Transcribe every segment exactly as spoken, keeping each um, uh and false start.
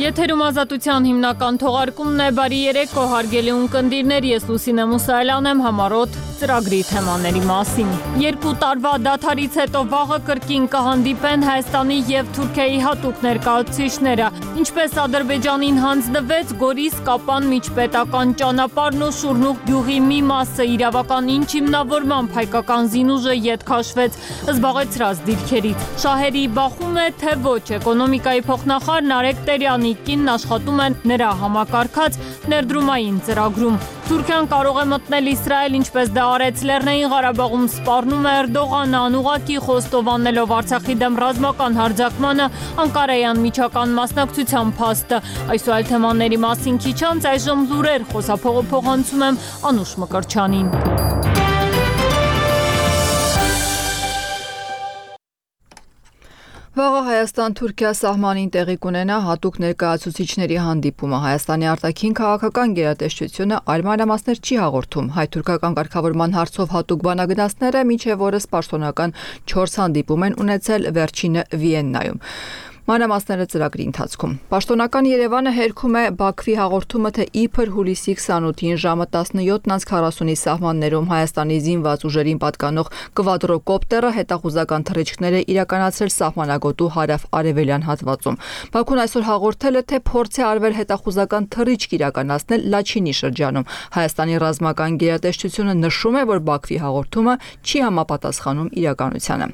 Եթերում ազատության հիմնական թողարկումն է, բարի երեկո հարգելի ունկնդիրներ, ես Լուսինե Մուսայելյան եմ, համառոտ ծրագրի թեմաների մասին։ Երկու տարվա դադարից հետո վաղը կրկին կհանդիպեն Հայաստանի և Թուրքիայի հատուկ ներկայացուցիչները, ինչպես Ադրբեջանին հանձնվեց Գորիս Կապան միջպետական ճանապարհն ու Շուրնուղ գյուղի մի մասը իրավական ինչ հիմնավորմամբ հայկական զինուժը ետ քաշվեց զբաղեցրած դիրքերից։ Շահերի բախում է, թե ոչ, էկոնոմիկայի փոխնախարար Նարեկ Տերյանի կինն աշխատում է նրա համակարգած ներդրումային ծրագրում։ Թուրքիան կարող է մտնել Իսրայել, ինչպես դա արեց Լեռնային Ղարաբաղում, սպառնում է Էրդողանը, անուղղակի խոստովանելով Արցախի դեմ ռազմական հարձակմանը Անկարայի անմիջական մասնակցության փաստը։ Այս ու այլ թեմաների մասին քիչ անց այժմ լուրեր, խոսափողը փոխանցում եմ Անուշ Մկրտչյանին։ Վաղը Հայաստան-Թուրքիա սահմանին տեղի կունենա հատուկ ներկայացուցիչների հանդիպումը։ Հայաստանի արտաքին քաղաքական գերատեսչությունը այլ մանրամասներ չի հաղորդում։ Հայ-թուրքական կարգավորման հարցով հատուկ բանագնացները մինչև օրս պաշտոնական չորս հանդիպում են ունեցել, վերջինը Վիեննայում։ Մանրամասները ծրագրի ընթացքում։ Պաշտոնական Երևանը հերքում է Բաքվի հաղորդումը, թե իբր հուլիսի քսանութին ժամը տասնյոթ քառասունի սահմաններում Հայաստանի զինված ուժերին պատկանող կվադրոկոպտերը հետախուզական թռիչքներ է իրականացրել սահմանագոտու հարավ-արևելյան հատվածում։ Բաքուն այսօր հաղորդել է, թե փորձ է արվել հետախուզական թռիչք իրականացնել Լաչինի շրջանում։ Հայաստանի ռազմական գերատեսչությունը նշում է, որ Բաքվի հաղորդումը չի համապատասխանում իրականությանը։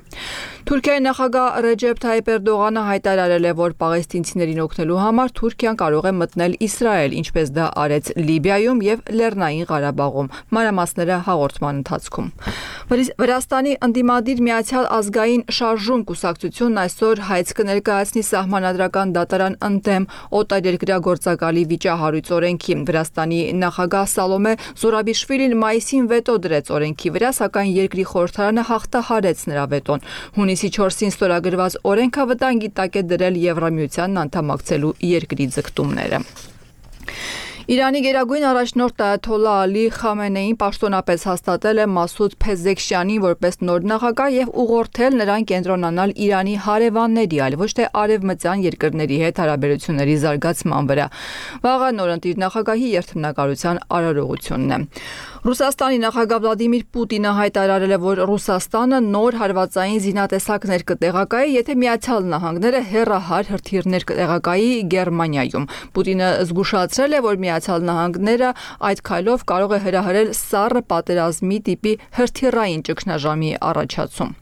Թուրքիայի նախագահ Ռեջեփ Թայիփ Էրդողանը հայտարարել է, որ պաղեստինցիներին օգնելու համար Թուրքիան կարող է մտնել Իսրայել, ինչպես դա արեց Լիբիայում եւ Լեռնային Ղարաբաղում։ Մանրամասները հաղորդման ընթացքում։ Վրաստանի ընդդիմադիր Միացյալ ազգային շարժում կուսակցությունն այսօր հայց կներկայացնի սահմանադրական դատարան ընդդեմ օտարերկրագործակալի վիճահարույց օրենքի։ Վրաստանի նախագահ Սալոմե Զուրաբիշվիլին մայիսին վետո դրեց օրենքի վրա, սակայն երկրի խորհրդարանը հաղթահարեց նրա վետոն։ Հունիսի չորսին ստորագրված օրենքը վտանգի տակ է դրել Եվրամիությանն անդամակցելու երկրի ձգտումները։ Իրանի գերագույն առաջնորդ Այաթոլլահ Ալի Խամենեին պաշտոնապես հաստատել է Մասուդ Փեզեքշյանին որպես նոր նախագահ եւ ուղղորդել նրան կենտրոնանալ Իրանի հարևանների, այլ ոչ թե արևմտյան երկրների հետ հարաբերությունների զարգացման վրա։ Վաղը նորընտիր նախագահի երթմնակալության արարողությունն է։ Ռուսաստանի նախագահ Վլադիմիր Պուտինը հայտարարել է, որ Ռուսաստանը նոր հարվածային զինատեսակներ կտեղակայի, եթե Միացյալ Նահանգները հեռահար հրթիռներ կտեղակայի Գերմանիայում։ Պուտինը զգուշացրել է, որ Միացյալ Նահանգները այդ քայլով կարող է հրահրել սառը պատերազմի տիպի հրթիռային ճգնաժամի առաջացում։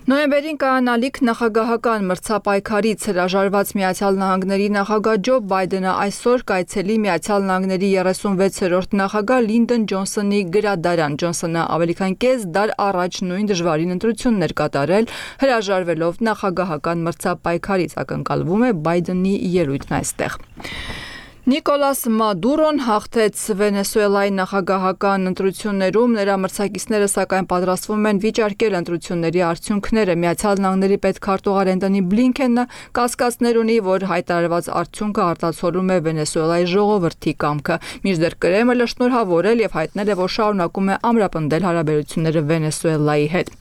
Նոյեմբերին կայանալիք նախագահական մրցապայքարից հրաժարված Միացյալ Նահանգների նախագահ Ջո Բայդենը այսօր կայցելի Միացյալ Նահանգների երեսունվեցերորդ նախագահ Լինդոն Ջոնսոնի գրադարան։ Ջոնսոնը ավելի քան կես դար առաջ նույն դժվարին ընտրություններ կատարել, հրաժարվելով նախագահական մրցապայքարից, ակնկալվում է Բայդենի ելույթն այստեղ։ Նիկոլաս Մադուրոն հաղթեց Վենեսուելայի նախագահական ընտրություններում, նրա մրցակիցները սակայն պատրաստվում են վիճարկել ընտրությունների արդյունքները։ Միացյալ Նահանգների պետքարտուղար Էնթոնի Բլինքենը կասկածներ ունի, որ հայտարարված արդյունքը արտացոլում է Վենեսուելայի ժողովրդի կամքը։ Մինչդեռ Կրեմլը շնորհավորել եւ հայտնել է, որ շարունակում է ամրապնդել հարաբերությունները Վենեսուելայի հետ։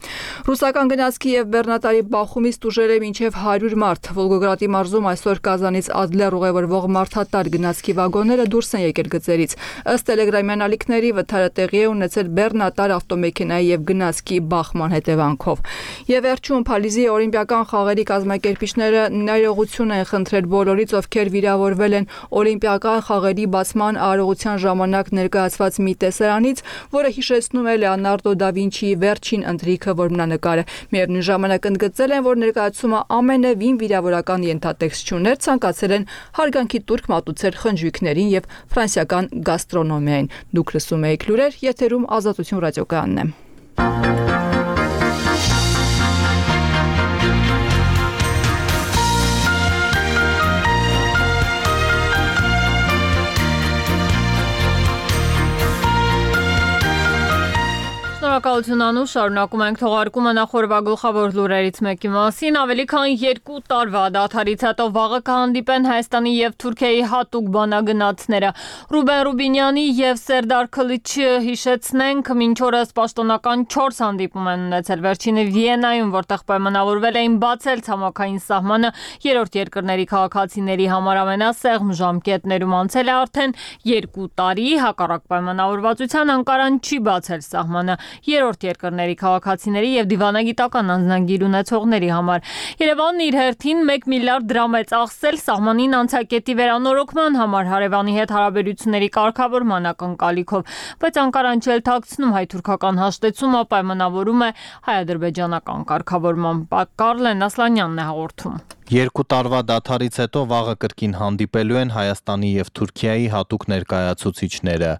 Ռուսական գնացքի եւ բեռնատարի բախումից տուժել է մինչեւ հարյուր մարդ։ Վոլգոգրադի մարզում այսօր Կազանից Ադլեր ուղևորվող մարդատար գնացքի վագոնները դուրս են եկել գծերից։ Ըստ տելեգրամյան ալիքների վթարը տեղի է ունեցել բեռնատար ավտոմեքենայի եւ գնացքի բախման հետևանքով։ Եվ վերջում Փարիզի օլիմպիական խաղերի կազմակերպիչները ներողություն են խնդրել բոլորից, ովքեր վիրավորվել են օլիմպիական խաղերի բացման արարողության ժամանակ ներկայացված մի տեսարանից, որը հիշեցնում է Լեոնարդո դա Վինչիի վերջին ընթրիքը որմնանկարը։ Միևնույն ժամանակ ընդգծել են, որ ներկայացումը ամենևին վիրավորական ենթատեքստ չուներ, ցանկացել են հարգանքի տուրք մատուցել խնջույքներին եւ ֆրանսիական գաստրոնոմիային։ Դուք լսում եք լուրեր, եթերում Ազատություն ռադիոկայանն է։ Շնորհակալ Շնորհակալություն Անուշ, շարունակում ենք թողարկումը նախորդ գլխավոր լուրերից մեկի մասին։ Ավելի քան երկու տարվա դադարից հետո վաղը կհանդիպեն Հայաստանի եւ Թուրքիայի հատուկ բանագնացները։ Ռուբեն Ռուբինյանի եւ Սերդար Քլիչը հիշեցնենք, մինչ օրս պաշտոնական չորս հանդիպում են ունեցել։ Վերջինը Վիեննայում, որտեղ պայմանավորվել էին բացել ցամաքային սահմանը երրորդ երկրների քաղաքացիների համար ամենասեղմ ժամկետներում անցել է արդեն երկու տարի, հակառակ պայմանավորվածության Անկարան չի բացել սահմանը երրորդ երկրների քաղաքացիների եւ դիվանագիտական անձնագիր ունեցողների համար։ Երևանն իր հերթին մեկ միլիարդ դրամ է ծախսել սահմանին անցակետի վերանորոգման համար հարևանի հետ հարաբերությունների կարգավորման ակնկալիքով, բայց Անկարան չելթակցնում հայ-թուրքական հաշտեցումը պայմանավորում է հայ-ադրբեջանական կարգավորման։ Կարլեն Ասլանյանն է հաղորդում։ Երկու տարվա դադարից հետո վաղը կրկին հանդիպելու են Հայաստանի եւ Թուրքիայի հատուկ ներկայացուցիչները։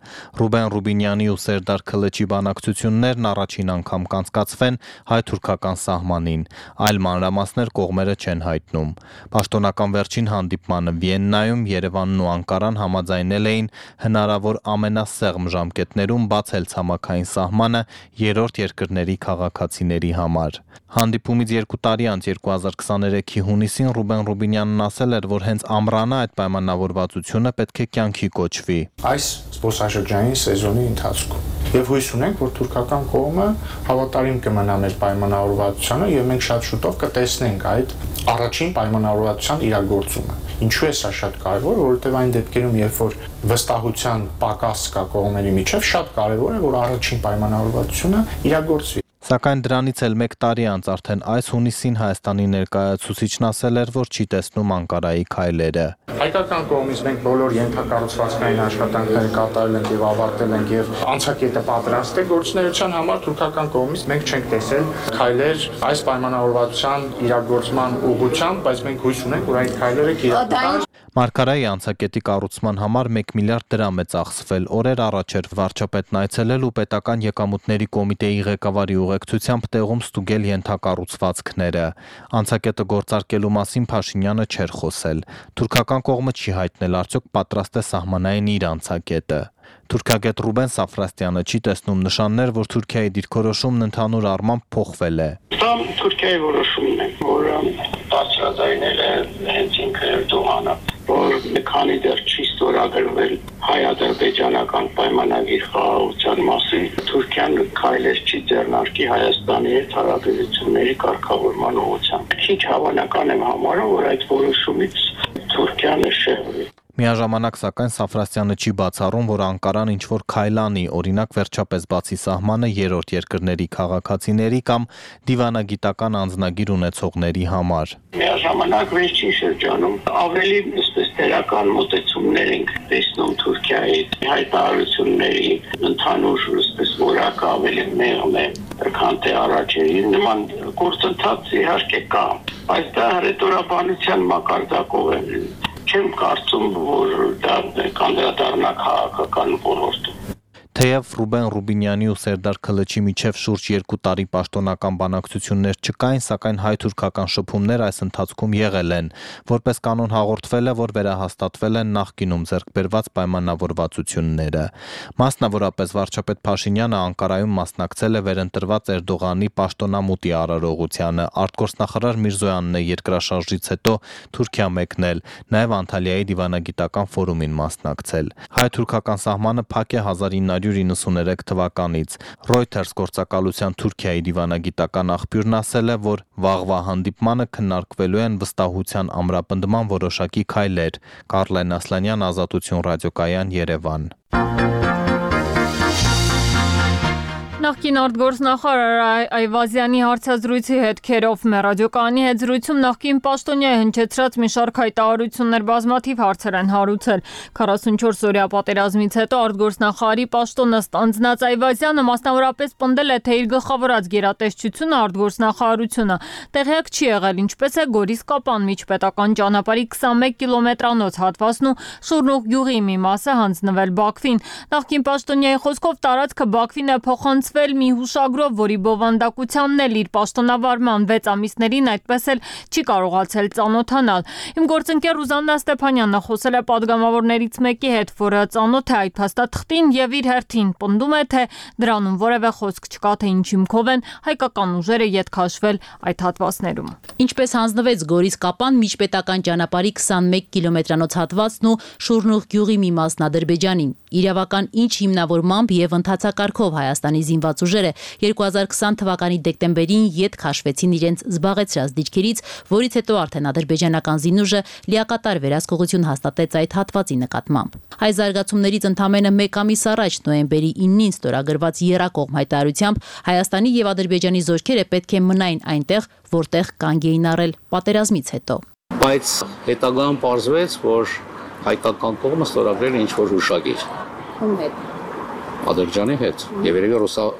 Ռուբեն Ռուբինյանի ու Սերդար Քլիչի բանակցություններն առաջին անգամ կանցկացվեն հայ-թուրքական սահմանին։ Այլ մանրամասներ կողմերը չեն հայտնում։ Պաշտոնական վերջին հանդիպմանը Վիեննայում Երևանն ու Անկարան համաձայնել էին հնարավոր ամենասեղմ ժամկետներում բացել ցամաքային սահմանը երրորդ երկրների քաղաքացիների համար։ Հանդիպումից երկու տարի անց երկու հազար քսաներեքի հունիսին Ռուբեն Ռուբինյանն ասել էր, որ հենց ամռանը այդ պայմանավորվածությունը պետք է կյանքի կոչվի։ Այս զբոսաշրջանային սեզոնի ընթացքում եւ հույս ունենք, որ թուրքական կողմը հավատարիմ կմնա մեր պայմանավորվածությանը եւ մենք շատ շուտով կտեսնենք այդ առաջին պայմանավորվածության իրագործումը։ Ինչու է սա շատ կարևոր, որովհետեւ այն դեպքերում, երբ որ վստահության պակաս կա կողմերի միջև, շատ կարևոր է, որ առաջին պայմանավորվածությունը իրագործվի։ Սակայն դրանից էլ մեկ տարի անց արդեն այս հունիսին Հայաստանի ներկայացուցիչն ասել էր, որ չի տեսնում Անկարայի քայլերը։ Հայկական կողմից մենք բոլոր ենթակառուցվածքային աշխատանքները կատարել ենք եւ ավարտել ենք եւ անցակետը պատրաստ է գործունեության համար, թուրքական կողմից մենք չենք տեսել քայլեր այս պայմանավորվածության իրագործման ուղղությամբ, բայց մենք հույս ունենք, որ այդ քայլերը կիրականանան։ Մարգարայի անցակետի կառուցման համար մեկ միլիարդ դրամ է ծախսվել։ Օրեր առաջ էր վարչապետն այցելել ու պետական եկամուտների կոմիտեի ղեկավարի ուղեկցությամբ տեղում ստուգել ենթակառուցվածքները։ Անցակետը գործարկելու մասին Փաշինյանը չէր խոսել։ Թուրքական կողմը չի հայտնել արդյոք պատրաստ է սահմանային իր անցակետը։ Թուրքագետ Ռուբեն Սաֆրաստյանը չի տեսնում նշաններ, որ Թուրքիայի դիրքորոշումն ընդհանուր առմամբ փոխվել է։ Դա Թուրքիայի որոշումն է, որը բացրացնել է հենց ինքը Էրդողանը, որ մի քանի դեռ չի ստորագրվել հայ-ադրբեջանական պայմանագիր խաղաղության մասին, Թուրքիան քայլեր չի ձեռնարկի Հայաստանի հետ հարաբերությունների կարգավորման ուղղությամբ։ Քիչ հավանական եմ համարում, որ այդ որոշումից Թուրքիան շեղվի։ Միաժամանակ սակայն Սաֆրաստյանը չի բացառում, որ Անկարան ինչ-որ քայլ անի, օրինակ վերջապես բացի սահմանը երրորդ երկրների քաղաքացիների կամ դիվանագիտական անձնագիր ունեցողների համար։ Միաժամանակ վերջին շրջանում ավելի այսպես դերական մոտեցումներ ենք տեսնում Թուրքիայի հայտարարությունների ընդհանուր այսպես որակը ավելի մեղմ է, քան թե առաջին։ Նման գործընթաց իհարկե կա, բայց դա հռետորաբանության մակարդակով է։ Չեմ կարծում, որ դա կանդրադառնա քաղաքական ոլորտում։ Թեև Ռուբեն Ռուբինյանի ու Սերդար Քլիչի միջև շուրջ երկու տարի պաշտոնական բանակցություններ չկային, սակայն հայ-թուրքական շփումներ այս ընթացքում եղել են, որպես կանոն հաղորդվել է, որ վերահաստատվել են նախկինում ձեռք բերված պայմանավորվածությունները։ Մասնավորապես վարչապետ Փաշինյանը Անկարայում մասնակցել է վերընտրված Էրդողանի պաշտոնամուտի արարողությանը, արտգործնախարար Միրզոյանն է երկրաշարժից հետո Թուրքիա մեկնել, նաև Անտալիայի դիվանագիտական ֆորումին մասնակցել։ Հայ-թուրքական սահմանը փակ է հազար ինը հարյուր իննսուներեք թվականից։ Reuters գործակալության Թուրքիայի դիվանագիտական աղբյուրն ասել է, որ վաղվա հանդիպմանը քննարկվելու են վստահության ամրապնդման որոշակի քայլեր։ Կարլեն Ասլանյան, Ազատություն ռադիոկայան, Երևան։ Նախկին արտգործնախարար Այվազյանի հարցազրույցի հետքերով մեր ռադիոկայանի հետ զրույցում նախկին պաշտոնյայի հնչեցրած մի շարք հայտարարություններ բազմաթիվ հարցեր են հարուցել։ քառասունչորս օրյա պատերազմից հետո արտգործնախարարի պաշտոնը ստանձնած Այվազյանը մասնավորապես պնդել է, թե իր գլխավորած գերատեսչությունը արտգործնախարարությունը տեղյակ չի եղել, ինչպես է Գորիս-Կապան միջպետական ճանապարհի քսանմեկ կիլոմետրանոց հատվածն ու Շուրնուղ գյուղի մի մասը հանձնվել Բաքվին։ Նախկին պաշտոնյայի խոսքով տարածքը Բաքվին է փոխանցվել ստացվել մի հուշագրով, որի բովանդակությանն էլ իր պաշտոնավարման վեց ամիսներին այդպես էլ չի կարողացել ծանոթանալ։ Իմ գործընկեր Ռուզաննա Ստեփանյանն խոսել է падգամավորներից մեկի հետ, որը ծանոթ է այդ փաստաթղթին եւ իր հերթին պնդում է, թե դրանում որևէ խոսք չկա, թե ինչ հիմքով են հայկական ուժերը յետ քաշվել այդ հատվածներում։ Ինչպես հանձնվեց Գորիս-Կապան միջպետական ճանապարհի քսանմեկ կիլոմետրանոց հատվածն ու Շուրնուղ գյուղի մի մասն Ադրբեջանին։ Իրավական ինչ հիմնավորմամբ եւ ընթացակարգով Հայաստանի զինված ուժերը երկու հազար քսան թվականի դեկտեմբերին յետ քաշվեցին իրենց զբաղեցրած դիրքերից, որից հետո արդեն ադրբեջանական զինուժը լիակատար վերահսկողություն հաստատեց այդ հատվածի նկատմամբ։ Հայ զարգացումներից ընդամենը մեկ ամիս առաջ նոյեմբերի իննին ստորագրված եռակողմ հայտարարությամբ Հայաստանի եւ Ադրբեջանի զորքերը պետք է մնային այնտեղ, որտեղ կանգ էին առել պատերազմից հետո։ Բայց հետագայում պարզվեց, որ հայկական կողմը ստորագրել է ինչ-որ հուշագիր։ Ում հետ։ Ադրբեջանի հետ եւ երևի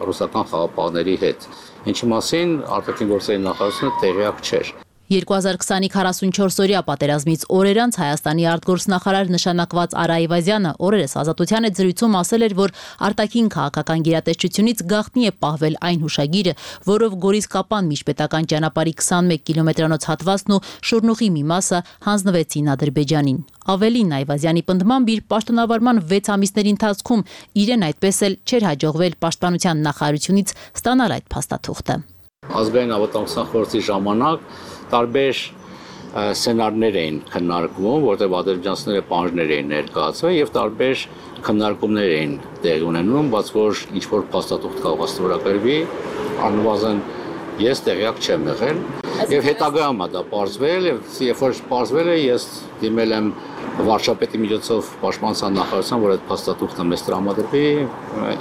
ռուսական խաղապահների հետ, ինչի մասին արտաքին գործերի նախարարությունը տեղյակ չէր։ երկու հազար քսանի քառասունչորս օրյա պատերազմից օրեր անց Հայաստանի արտգործնախարար նշանակված Արա Այվազյանը օրերս Ազատության հետ զրույցում ասել էր, որ արտաքին քաղաքական գերատեսչությունից գաղտնի է պահվել այն հուշագիրը, որով Գորիս-Կապան միջպետական ճանապարհի քսանմեկ կիլոմետրանոց հատվածն ու Շուրնուղի մի մասը հանձնվեցին Ադրբեջանին։ Ավելին, Այվազյանի պնդմամբ իր պաշտոնավարման վեց ամիսների ընթացքում իրեն այդպես էլ չէր հաջողվել պաշտպանության նախարարությունից ստանալ այդ փաստաթուղթը։ Ազգային անվտանգության խորհրդի ժամանակ տարբեր սցենարներ էին քննարկվում, որտեղ ադրբեջանցիները պահանջներ էին ներկայացվել եւ տարբեր քննարկումներ էին տեղի ունենում, բայց որ ինչ որ փաստաթուղթ կարող ստորագրվի, անվազն ես տեղյակ չեմ եղել եւ հետագայում դա պարզվել եւ երբ որ պարզվել է ես դիմել եմ վարչապետի միջոցով պաշտպանության նախարարության, որ այդ փաստաթուղթը մեզ տրամադրվի,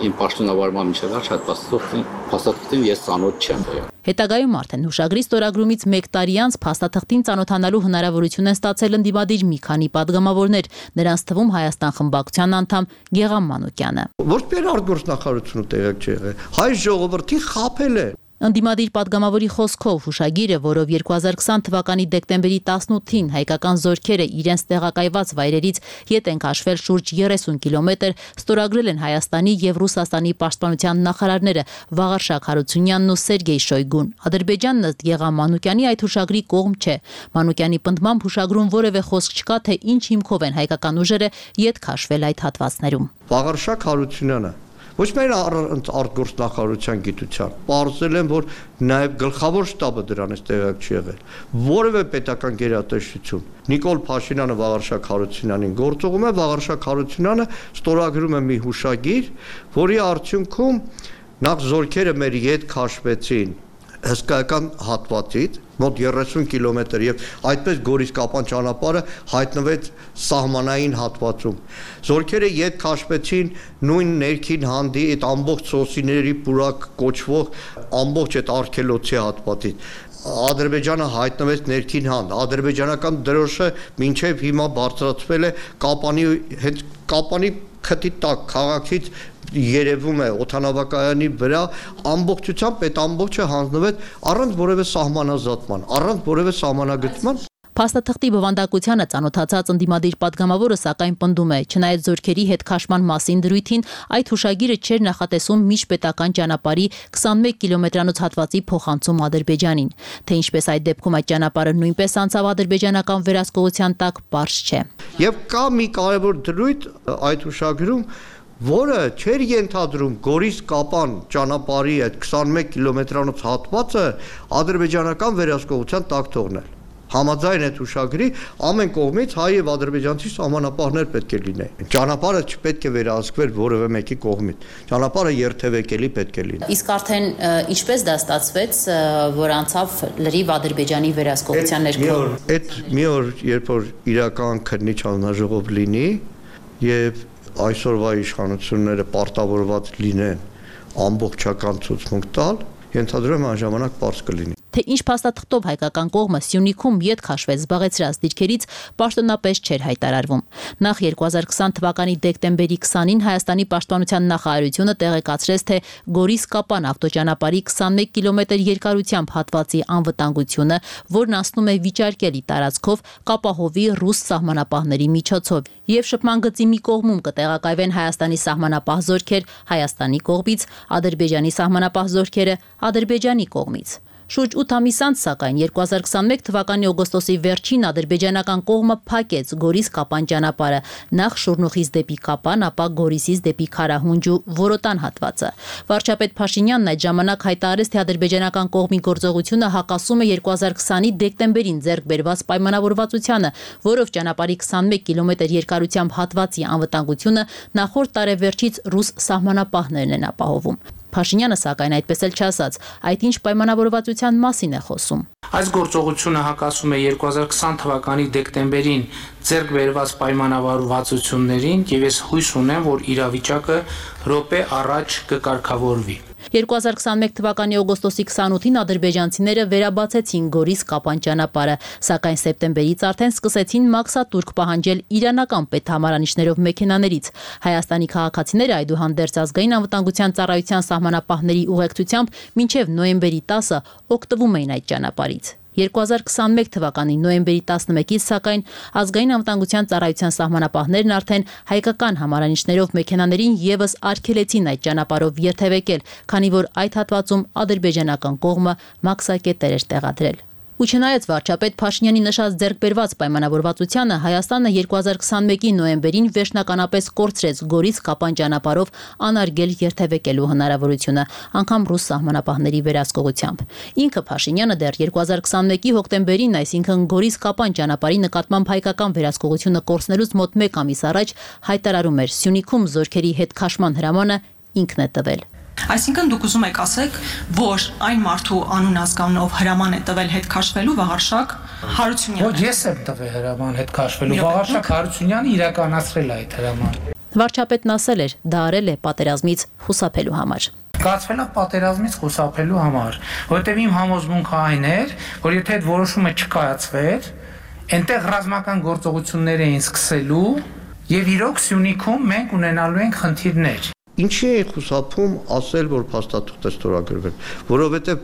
իմ պաշտոնավարման միջև այդ փաստաթուղթին փաստաթղթին ես ծանոթ չեմ եղել։ Հետագայում արդեն հուշագրի ստորագրումից մեկ տարի անց փաստաթղթին ծանոթանալու հնարավորություն են ստացել ընդդիմադիր մի քանի падգամավորներ, նրանց թվում Հայաստան խմբակցության անդամ Գեգամ Մանուկյանը։ Որտեղ արտգործնախարարությունը տեղյակ չի եղել, հայ ժողովրդին խաբել է։ Ընդդիմադիր падգամավորի խոսքով հուշագիրը, որով երկու հազար քսան թվականի դեկտեմբերի տասնութին հայկական զորքերը իրենց տեղակայված վայրերից յետ են քաշվել շուրջ երեսուն կիլոմետր, ստորագրել են Հայաստանի եւ Ռուսաստանի պաշտպանության նախարարները Վաղարշակ Հարությունյանն ու Սերգեյ Շոյգուն։ Ադրբեջանն ըստ Գեգամ Մանուկյանի այդ հուշագրի կողմ չէ։ Մանուկյանի պնդմամբ հուշագրում որևէ խոսք չկա, թե ինչ հիմքով են հայկական ուժերը յետ քաշվել այդ հատվածներում։ Վաղարշակ Հարությունյանը ոչ միայն արտգործնախարարության գիտության, պարզել են, որ նաև գլխավոր շտաբը դրանից տեղյակ չի եղել։ Որևէ պետական գերատեսչություն Նիկոլ Փաշինյանը Վաղարշակ Հարությունյանին գործողում է, Վաղարշակ Հարությունյանը ստորագրում է մի հուշագիր, որի արդյունքում նախ զորքերը մեր յետ քաշվեցին հսկայական հատվածից մոտ երեսուն կիլոմետր եւ այդպես Գորիս-Կապան ճանապարհը հայտնվեց սահմանային հատվածում։ Զորքերը յետ քաշվեցին նույն ներքին հանդի այդ ամբողջ սոսիների պուրակ կոչվող ամբողջ այդ արգելոցի հատվածից։ Ադրբեջանը հայտնվեց ներքին հանդ, ադրբեջանական դրոշը մինչև հիմա բարձրացվել է Կապանի հետ Կապանի քթի տակ քաղաքից երևում է օդանավակայանի վրա ամբողջությամբ այդ ամբողջը հանձնվեց առանց որևէ սահմանազատման, առանց որևէ սահմանագծման։ Փաստաթղթի բովանդակությանը ծանոթացած ընդդիմադիր падգամավորը սակայն պնդում է, չնայած զորքերի հետ քաշման մասին դրույթին, այդ հուշագիրը չէր նախատեսում միջպետական ճանապարհի քսանմեկ կիլոմետրանոց հատվածի փոխանցում Ադրբեջանին, թե ինչպես այդ դեպքում այդ ճանապարհը նույնպես անցավ ադրբեջանական վերահսկողության տակ, պարզ չէ։ Եվ կա մի կարևոր դրույթ այդ հուշագրում, որը չէր ենթադրում Գորիս-Կապան ճանապարհի այդ քսանմեկ կիլոմետրանոց հատվածը ադրբեջանական վերահսկողության տակ թողնել։ Համաձայն այդ հուշագրի ամեն կողմից հայ եւ ադրբեջանցի սահմանապահներ պետք է լինեն։ Ճանապարհը չպետք է վերահսկվեր որևէ մեկի կողմից։ Ճանապարհը երթևեկելի պետք է լինի։ Իսկ արդեն ինչպես դա ստացվեց, որ անցավ լրիվ Ադրբեջանի վերահսկողության ներքո։ Այդ մի օր, երբ որ իրական քննիչ հանձնաժողով լինի եւ այսօրվա իշխանությունները պարտավորված լինեն ամբողջական ցուցմունք տալ, ենթադրում եմ այն ժամանակ պարզ կլինի։ թե ինչ փաստաթղթով հայկական կողմը Սյունիքում ետ քաշվեց զբաղեցրած դիրքերից պաշտոնապես չէր հայտարարվում։ Նախ երկու հազար քսան թվականի դեկտեմբերի քսանին Հայաստանի պաշտպանության նախարարությունը տեղեկացրեց, թե Գորիս-Կապան ավտոճանապարհի քսանմեկ կիլոմետր երկարությամբ հատվածի անվտանգությունը, որն անցնում է Վիճարկելի տարածքով, կապահովի ռուս սահմանապահների միջոցով, եւ շփման գծի մի կողմում կտեղակայվեն Հայաստանի սահմանապահ զորքեր Հայաստանի կողմից, Ադրբեջանի սահմանապահ զորքերը Ադրբեջանի կողմից։ Շուրջ ութ ամիս անց, սակայն երկու հազար քսանմեկ թվականի օգոստոսի վերջին ադրբեջանական կողմը փակեց Գորիս-Կապան ճանապարհը, նախ Շուռնուխից դեպի Կապան, ապա Գորիսից դեպի Քարահունջ ու Որոտան հատվածը։ Վարչապետ Փաշինյանն այդ ժամանակ հայտարարեց, թե ադրբեջանական կողմի գործողությունը հակասում է երկու հազար քսանի դեկտեմբերին ձեռք բերված պայմանավորվածությանը, որով ճանապարհի քսանմեկ կիլոմետր երկարությամբ հատվածի անվտանգությունը նախորդ տարեվերջից ռուս սահմանապահներն են ապահովում։ Փաշինյանը սակայն այդպես էլ չասաց, այդ ինչ պայմանավորվածության մասին է խոսում։ Այս գործողությունը հակասում է երկու հազար քսան թվականի դեկտեմբերին ձեռք բերված պայմանավորվածություններին եւ ես հույս ունեմ, որ իրավիճակը րոպե առաջ կկարգավորվի։ երկու հազար քսանմեկ թվականի օգոստոսի քսանութին ադրբեջանցիները վերաբացեցին Գորիս-Կապան ճանապարհը, սակայն սեպտեմբերից արդեն սկսեցին մաքսատուրք պահանջել իրանական պետհամարանիշներով մեքենաներից։ Հայաստանի քաղաքացիները այդուհանդերձ ազգային անվտանգության ծառայության սահմանապահների ուղեկցությամբ մինչև նոյեմբերի տասը օգտվում էին այդ ճանապարհից։ երկու հազար քսանմեկ թվականի նոյեմբերի տասնմեկից սակայն ազգային անվտանգության ծառայության սահմանապահներն արդեն հայկական համարանիշներով մեքենաներին եւս արգելեցին այդ ճանապարհով երթևեկել, քանի որ այդ հատվածում ադրբեջանական կողմը մաքսակետեր էր տեղադրել։ Ու չնայած վարչապետ Փաշինյանի նշած ձեռքբերված պայմանավորվածությանը, Հայաստանը երկու հազար քսանմեկի նոյեմբերին վերջնականապես կորցրեց Գորիս-Կապան ճանապարհով անարգել երթևեկելու հնարավորությունը, անգամ ռուս սահմանապահների վերահսկողությամբ։ Ինքը Փաշինյանը դեռ երկու հազար քսանմեկի հոկտեմբերին, այսինքն Գորիս-Կապան ճանապարհի նկատմամբ հայկական վերահսկողությունը կորցնելուց մոտ մեկ ամիս առաջ հայտարարում էր Սյունիքում զորքերի հետ քաշման հրամանը ինքն է տվել։ Այսինքն դուք ուզում եք ասեք, որ այն մարդու անուն ազգանով հրաման է տվել հետ քաշվելու Վաղարշակ Հարությունյանը։ Ոչ, ես եմ տվել հրաման հետ քաշվելու Վաղարշակ Հարությունյանը իրականացրել է այդ հրամանը։ Վարչապետն ասել էր, դա արել է պատերազմից խուսափելու համար։ Կացվել է պատերազմից խուսափելու համար, որովհետև իմ համոզմունքը այն էր, որ եթե այդ որոշումը չկայացվեր, այնտեղ ռազմական գործողություններ էին սկսելու եւ իրոք Սյունիքում մենք ունենալու ենք խնդիրներ։ Ինչի է խուսափում ասել, որ փաստաթուղթ է ստորագրվել, որովհետև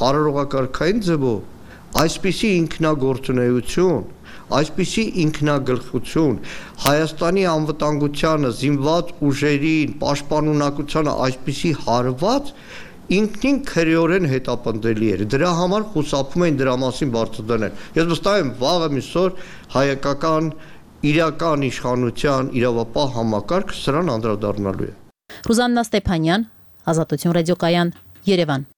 արարողակարգային ձևով այսպիսի ինքնագործունեություն, այսպիսի ինքնագլխություն, Հայաստանի անվտանգությանը, զինված ուժերին, պաշտպանունակությանը այսպիսի հարված ինքնին քրեորեն հետապնդելի էր։ Դրա համար խուսափում էին դրա մասին բարձրանել։ Ես վստահ եմ, վաղը միսօր հայկական իրական իշխանության իրավապահ համակարգ սրան անդրադառնալու է։ Ռուզաննա Ստեփանյան, Ազատություն ռադիոկայան, Երևան։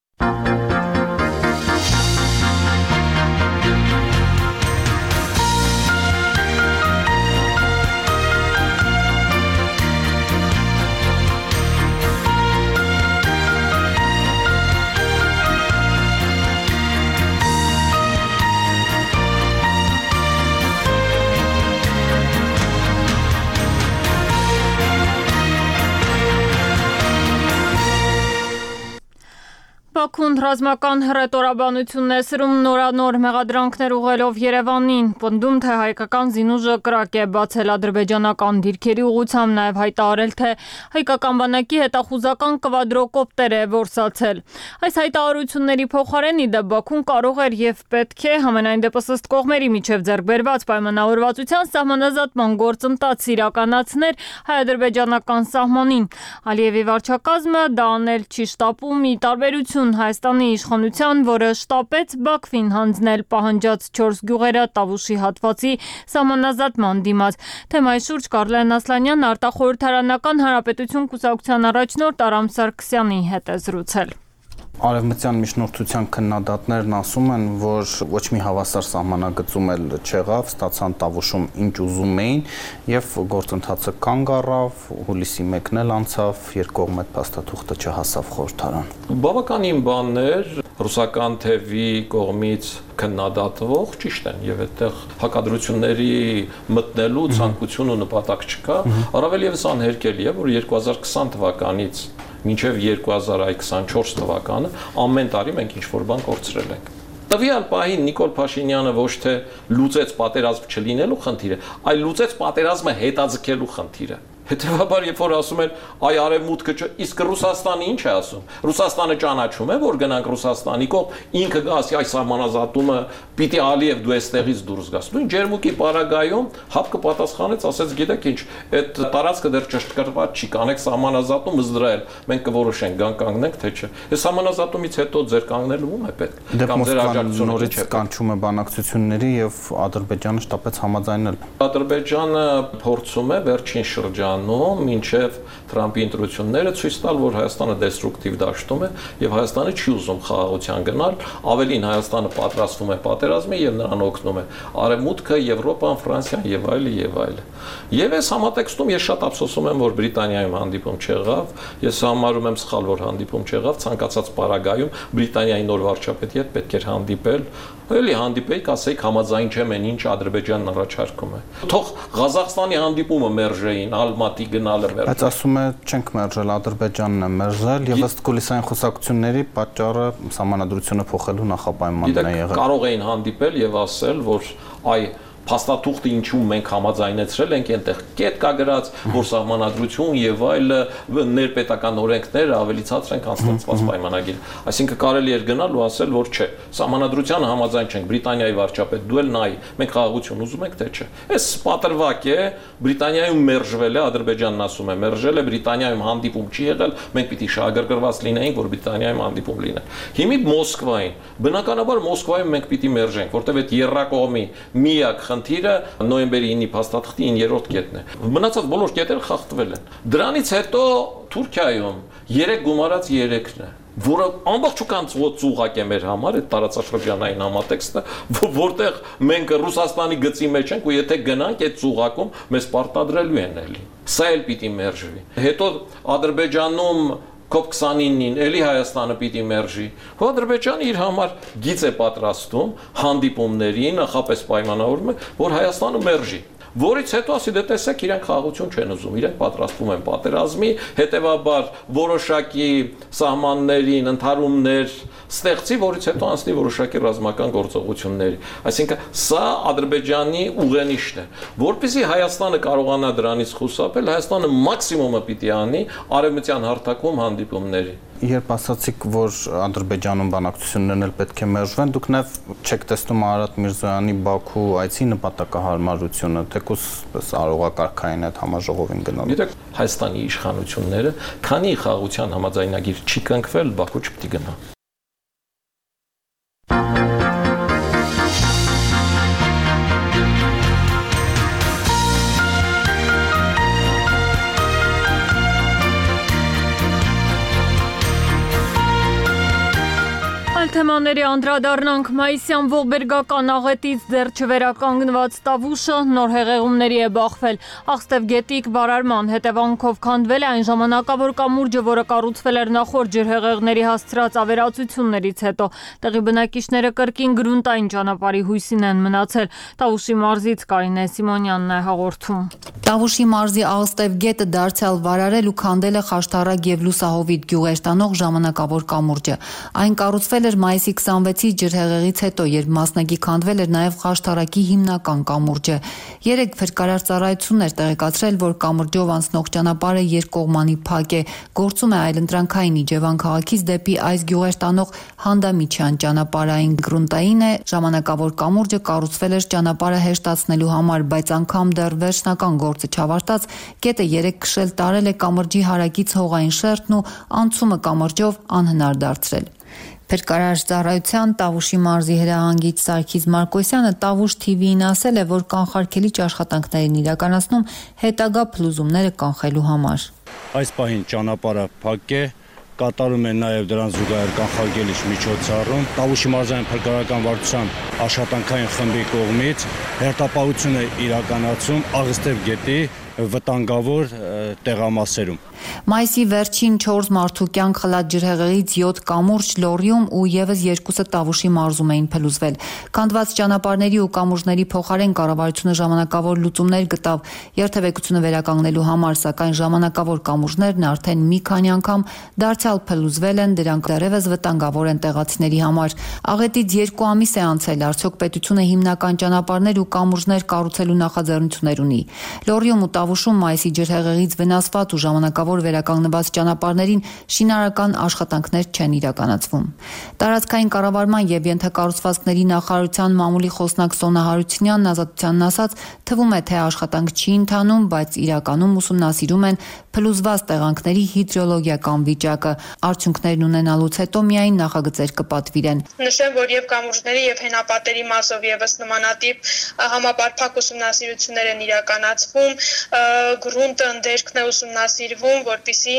Բաքուն ռազմական հռետորաբանություն է սրում նորանոր մեղադրանքներ ուղղելով Երևանին, պնդում, թե հայկական զինուժը կրակ է բացել ադրբեջանական դիրքերի ուղղությամբ, նաև հայտարարել, թե հայկական բանակի հետախուզական կվադրոկոպտեր է որսացել։ Այս հայտարարությունների փոխարեն իդեպ Բաքուն կարող էր եւ պետք է համենայն դեպս ըստ կողմերի միջև ձեռք բերված պայմանավորվածության սահմանազատման գործընթաց իրականացներ հայ-ադրբեջանական սահմանին։ Ալիևի վարչակազմը դա անել չի շտապում՝ ի տարբերություն Հայաստանի իշխանության, որը շտապեց Բաքվին հանձնել պահանջած չորս գյուղերը Տավուշի հատվածի սահմանազատման դիմաց։ Թեմայի շուրջ Կարլեն Ասլանյանն արտախորհրդարանական հանրապետություն կուսակցության առաջնորդ Արամ Սարգսյանի հետ է զրուցել։ Արևմտյան միջնորդության քննադատներն ասում են, որ ոչ մի հավասար սահմանագծում էլ չեղավ, ստացան Տավուշում ինչ ուզում էին եւ գործընթացը կանգ առավ, հուլիսի մեկն էլ անցավ, երկկողմ այդ փաստաթուղթը չհասավ խորհրդարան։ Բավականին բաններ ռուսական թևի կողմից քննադատվող ճիշտ են եւ այդտեղ հակադրությունների մտնելու ցանկություն ու նպատակ չկա, առավել եւս անհերքելի է, որ երկու հազար քսան թվականից մինչև երկու հազար քսանչորս թվականը ամեն տարի մենք ինչ-որ բան կորցրել ենք։ Տվյալ պահին Նիկոլ Փաշինյանը ոչ թե լուծեց պատերազմ չլինելու խնդիրը, այլ լուծեց պատերազմը հետաձգելու խնդիրը։ Հետևաբար, երբ որ ասում են, այ արևմուտքը, իսկ Ռուսաստանը ինչ է ասում։ Ռուսաստանը ճանաչում է, որ գնանք Ռուսաստանի կողմ, ինքը գասի այս սահմանազատումը պիտի Ալիև դու էստեղից դուրս գաս։ Նույն Ջերմուկի պարագայում ՀԱՊԿ պատասխանեց, ասեց, գիտեք ինչ, այդ տարածքը դեռ ճշտկրված չի, կանեք սահմանազատում Իսրայել, մենք կորոշենք, գան կանգնենք, թե չէ։ Այս սահմանազատումից հետո ձեր կանգնելու ում է պետք։ Կամ ձեր աջակցությունը նորից կանչում է բանակցությունների եւ Ադրբեջանը շտապեց համաձայնել։ Ադրբեջանը փորձում է վերջին շրջանում մինչև Թրամփի ընտրությունները ցույց տալ, որ Հայաստանը դեստրուկտիվ դաշտում է եւ Հայաստանը չի ուզում խաղաղության գնալ, ավելին Հայաստանը պատրաստվում է պատերազմի եւ նրան օգնում է Արևմուտքը, Եվրոպան, Ֆրանսիան եւ այլը եւ այլը։ Եվ այս համատեքստում ես շատ ափսոսում եմ, որ Բրիտանիայում հանդիպում չեղավ, ես համարում եմ սխալ, որ հանդիպում չեղավ, ցանկացած պարագայում Բրիտանիայի նոր վարչապետի հետ պետք էր հանդիպել, էլի հանդիպեիք, ասեիք համաձայն չեմ են ինչ Ադրբեջանն առաջարկում է։ Թող Ղազախստանի հանդիպումը մերժեին, Ալմատի գնալը մերժ։ Բայց ասում է չենք մերժել, Ադրբեջանն է մերժել եւ ըստ կուլիսային խոսակցությունների պատճառը սահմանադրությունը փոխելու նախապայմանն է եղել։ Կարող էին հանդիպել եւ ասել, որ այ փաստաթուղթը ինչու մենք համաձայնեցրել ենք այնտեղ կետ կա գրած, որ սահմանադրություն եւ այլ ներպետական օրենքները ավելի ցածր են կանստացված պայմանագիր։ Այսինքն կարելի էր գնալ ու ասել, որ չէ, սահմանադրությանը համաձայն չենք, Բրիտանիայի վարչապետ, դու էլ նայ, մենք խաղաղություն ուզում ենք, թե չէ։ Այս պատրվակ է, Բրիտանիայում մերժվել է, Ադրբեջանն ասում է, մերժել է, Բրիտանիայում հանդիպում չի եղել, մենք պիտի շահագրգռված լինեինք, որ Բրիտանիայում հանդիպում լինի։ Հիմի Մոսկվային, բնականաբար Մոսկվայում մենք պիտի մերժենք, որտեղ այդ երրակողմի միակ խնդիրը նոյեմբերի ինի փաստաթղթի իններորդ կետն է։ Մնացած բոլոր կետերը խախտվել են։ Դրանից հետո Թուրքիայում երեք գումարած երեքն է, որը ամբողջական ծուղակ է մեր համար, այդ տարածաշրջանային համատեքստը, որտեղ մենք Ռուսաստանի գծի մեջ ենք ու եթե գնանք այդ ծուղակում մեզ պարտադրելու են էլի։ Սա էլ պիտի մերժվի։ Հետո Ադրբեջանում կոպ քսանինին էլի Հայաստանը պիտի մերժի։ Հո Ադրբեջանը իր համար գիծ է պատրաստում հանդիպումների, նախապես պայմանավորում է, որ Հայաստանը մերժի։ Որից հետո ասի դե տեսեք իրենք խաղաղություն չեն ուզում, իրենք պատրաստվում են պատերազմի, հետևաբար որոշակի սահմաններին ընդհարումներ ստեղծի, որից հետո անցնի որոշակի ռազմական գործողությունների։ Այսինքն սա Ադրբեջանի ուղենիշն է, որպեսզի Հայաստանը կարողանա դրանից խուսափել, Հայաստանը մաքսիմումը պիտի անի արևմտյան հարթակում հանդիպումների։ Երբ ասացիք, որ Ադրբեջանում բանակցություններն էլ պետք է մերժվեն, դուք նաև չեք տեսնում Արարատ Միրզոյանի Բաքու այցի նպատակահարմարությունը, թեկուզ արողակարգային այդ համաժողովին գնալու։ Գիտեք, Հայաստանի իշխանությունները, քանի խաղաղության համաձայնագիր չի կնքվել, Բաքու չպետք է գնա։ Թեմաների անդրադառնանք մայիսյան ողբերգական աղետից դեռ չվերականգնված Տավուշը նոր հեղեղումների է բախվել։ Աղստև գետիկ բարարման հետևանքով քանդվել է այն ժամանակավոր կամուրջը, որը կառուցվել էր նախորդ ջրհեղեղների հասցրած ավերածություններից հետո։ Տեղի բնակիչները կրկին գրունտային ճանապարհի հույսին են մնացել։ Տավուշի մարզից Կարինե Սիմոնյանն է հաղորդում։ Տավուշի մարզի Աղստև գետը դարձյալ վարարել ու քանդել է Խաշտարակ եւ Լուսահովիտ գյուղեր տանող ժամանակավոր կամուրջը։ Այն կառուցվել էր մայիսի քսանվեցի ջրհեղեղից հետո, երբ մասնակի քանդվել էր նաև Խաշտարակի հիմնական կամուրջը։ Երեք փրկարար ծառայություններ տեղեկացրել, որ կամուրջով անցնող ճանապարհը երկկողմանի փակ է, գործում է այլընտրանքային Իջևան քաղաքից դեպի այս գյուղեր տանող Հանդամիջյան ճանապարհային գրունտային է, ժամանակավոր կամուրջը կառուցվել էր ճանապարհը հեշտացնելու համար, բայց անգամ դեռ վերջնական գործը չավարտած, կետը երեք քշել տարել է կամրջի հարակից հողային շերտն ու անցումը կամրջով անհնար դարձրել։ Փրկարար ծառայության Տավուշի մարզի հրահանգիչ Սարգիս Մարկոսյանը Տավուշ թի վիին ասել է, որ կանխարգելիչ աշխատանքներ են իրականացնում հետագա փլուզումները կանխելու համար։ Այս պահին ճանապարհը փակ է, կատարում են նաև դրան զուգահեռ կանխարգելիչ միջոցառում։ Տավուշի մարզային փրկարարական վարչության աշխատանքային խմբի կողմից հերթապահություն է իրականացում Աղստև գետի վտանգավոր տեղամասերում։ Մայիսի վերջին չորս մարդու կյանք խլած ջրհեղեղից յոթ կամուրջ, լոռիում ու եւս երկուսը Տավուշի մարզում էին փլուզվել։ Քանդված ճանապարհների ու կամուրջների փոխարեն կառավարությունը ժամանակավոր լուծումներ գտավ երթևեկությունը վերականգնելու համար, սակայն ժամանակավոր կամուրջներն արդեն մի քանի անգամ դարձյալ փլուզվել են, դրանք դեռևս վտանգավոր են տեղացիների համար։ Աղետից երկու ամիս է անցել, արդյոք պետությունը հիմնական ճանապարհներ ու կամուրջներ կառուցելու նախաձեռնություններ ունի։ Լոռիում ու Տավուշում մայիսի ջրհեղեղից վնասված ու ժամանակավոր վերականգնված ճանապարհներին շինարարական աշխատանքներ չեն իրականացվում։ Տարածքային կառավարման եւ ենթակառուցվածքների նախարարության մամուլի խոսնակ Սոնա Հարությունյանն Ազատությանն ասաց, թվում է, թե աշխատանք չի ընթանում, բայց իրականում ուսումնասիրում են փլուզված տեղանքների հիդրոլոգիական վիճակը։ Արդյունքներն ունենալուց հետո միայն նախագծեր կպատվիրեն։ Նշեմ, որ եւ կամուրջների եւ հենապատերի մասով եւս նմանատիպ համապարփակ ուսումնասիրություններ են իրականացվում, գրունտը ընդերքն է ուսումնասիրվում, որպեսզի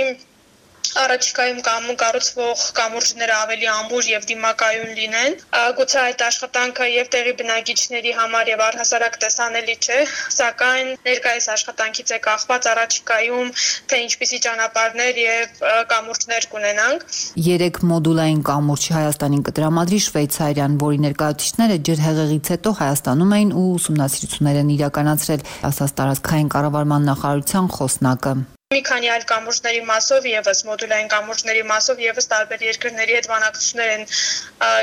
առաջիկայում կամ կառուցվող կամուրջները ավելի ամուր եւ դիմակայուն լինեն։ Գուցե այդ աշխատանքը եւ տեղի բնակիչների համար եւ առհասարակ տեսանելի չէ, սակայն ներկայիս աշխատանքից է կախված առաջիկայում թե ինչպիսի ճանապարհներ եւ կամուրջներ կունենանք։ Երեք մոդուլային կամուրջ Հայաստանին կտրամադրի Շվեյցարիան, որի ներկայացուցիչները ջրհեղեղից հետո Հայաստանում էին ու ուսումնասիրություններ են իրականացրել, ասաց տարածքային կառավարման նախարարության խոսնակը։ Մի քանի այլ կամուրջների մասով եւս մոդուլային կամուրջների մասով եւս տարբեր երկրների հետ բանակցություններ են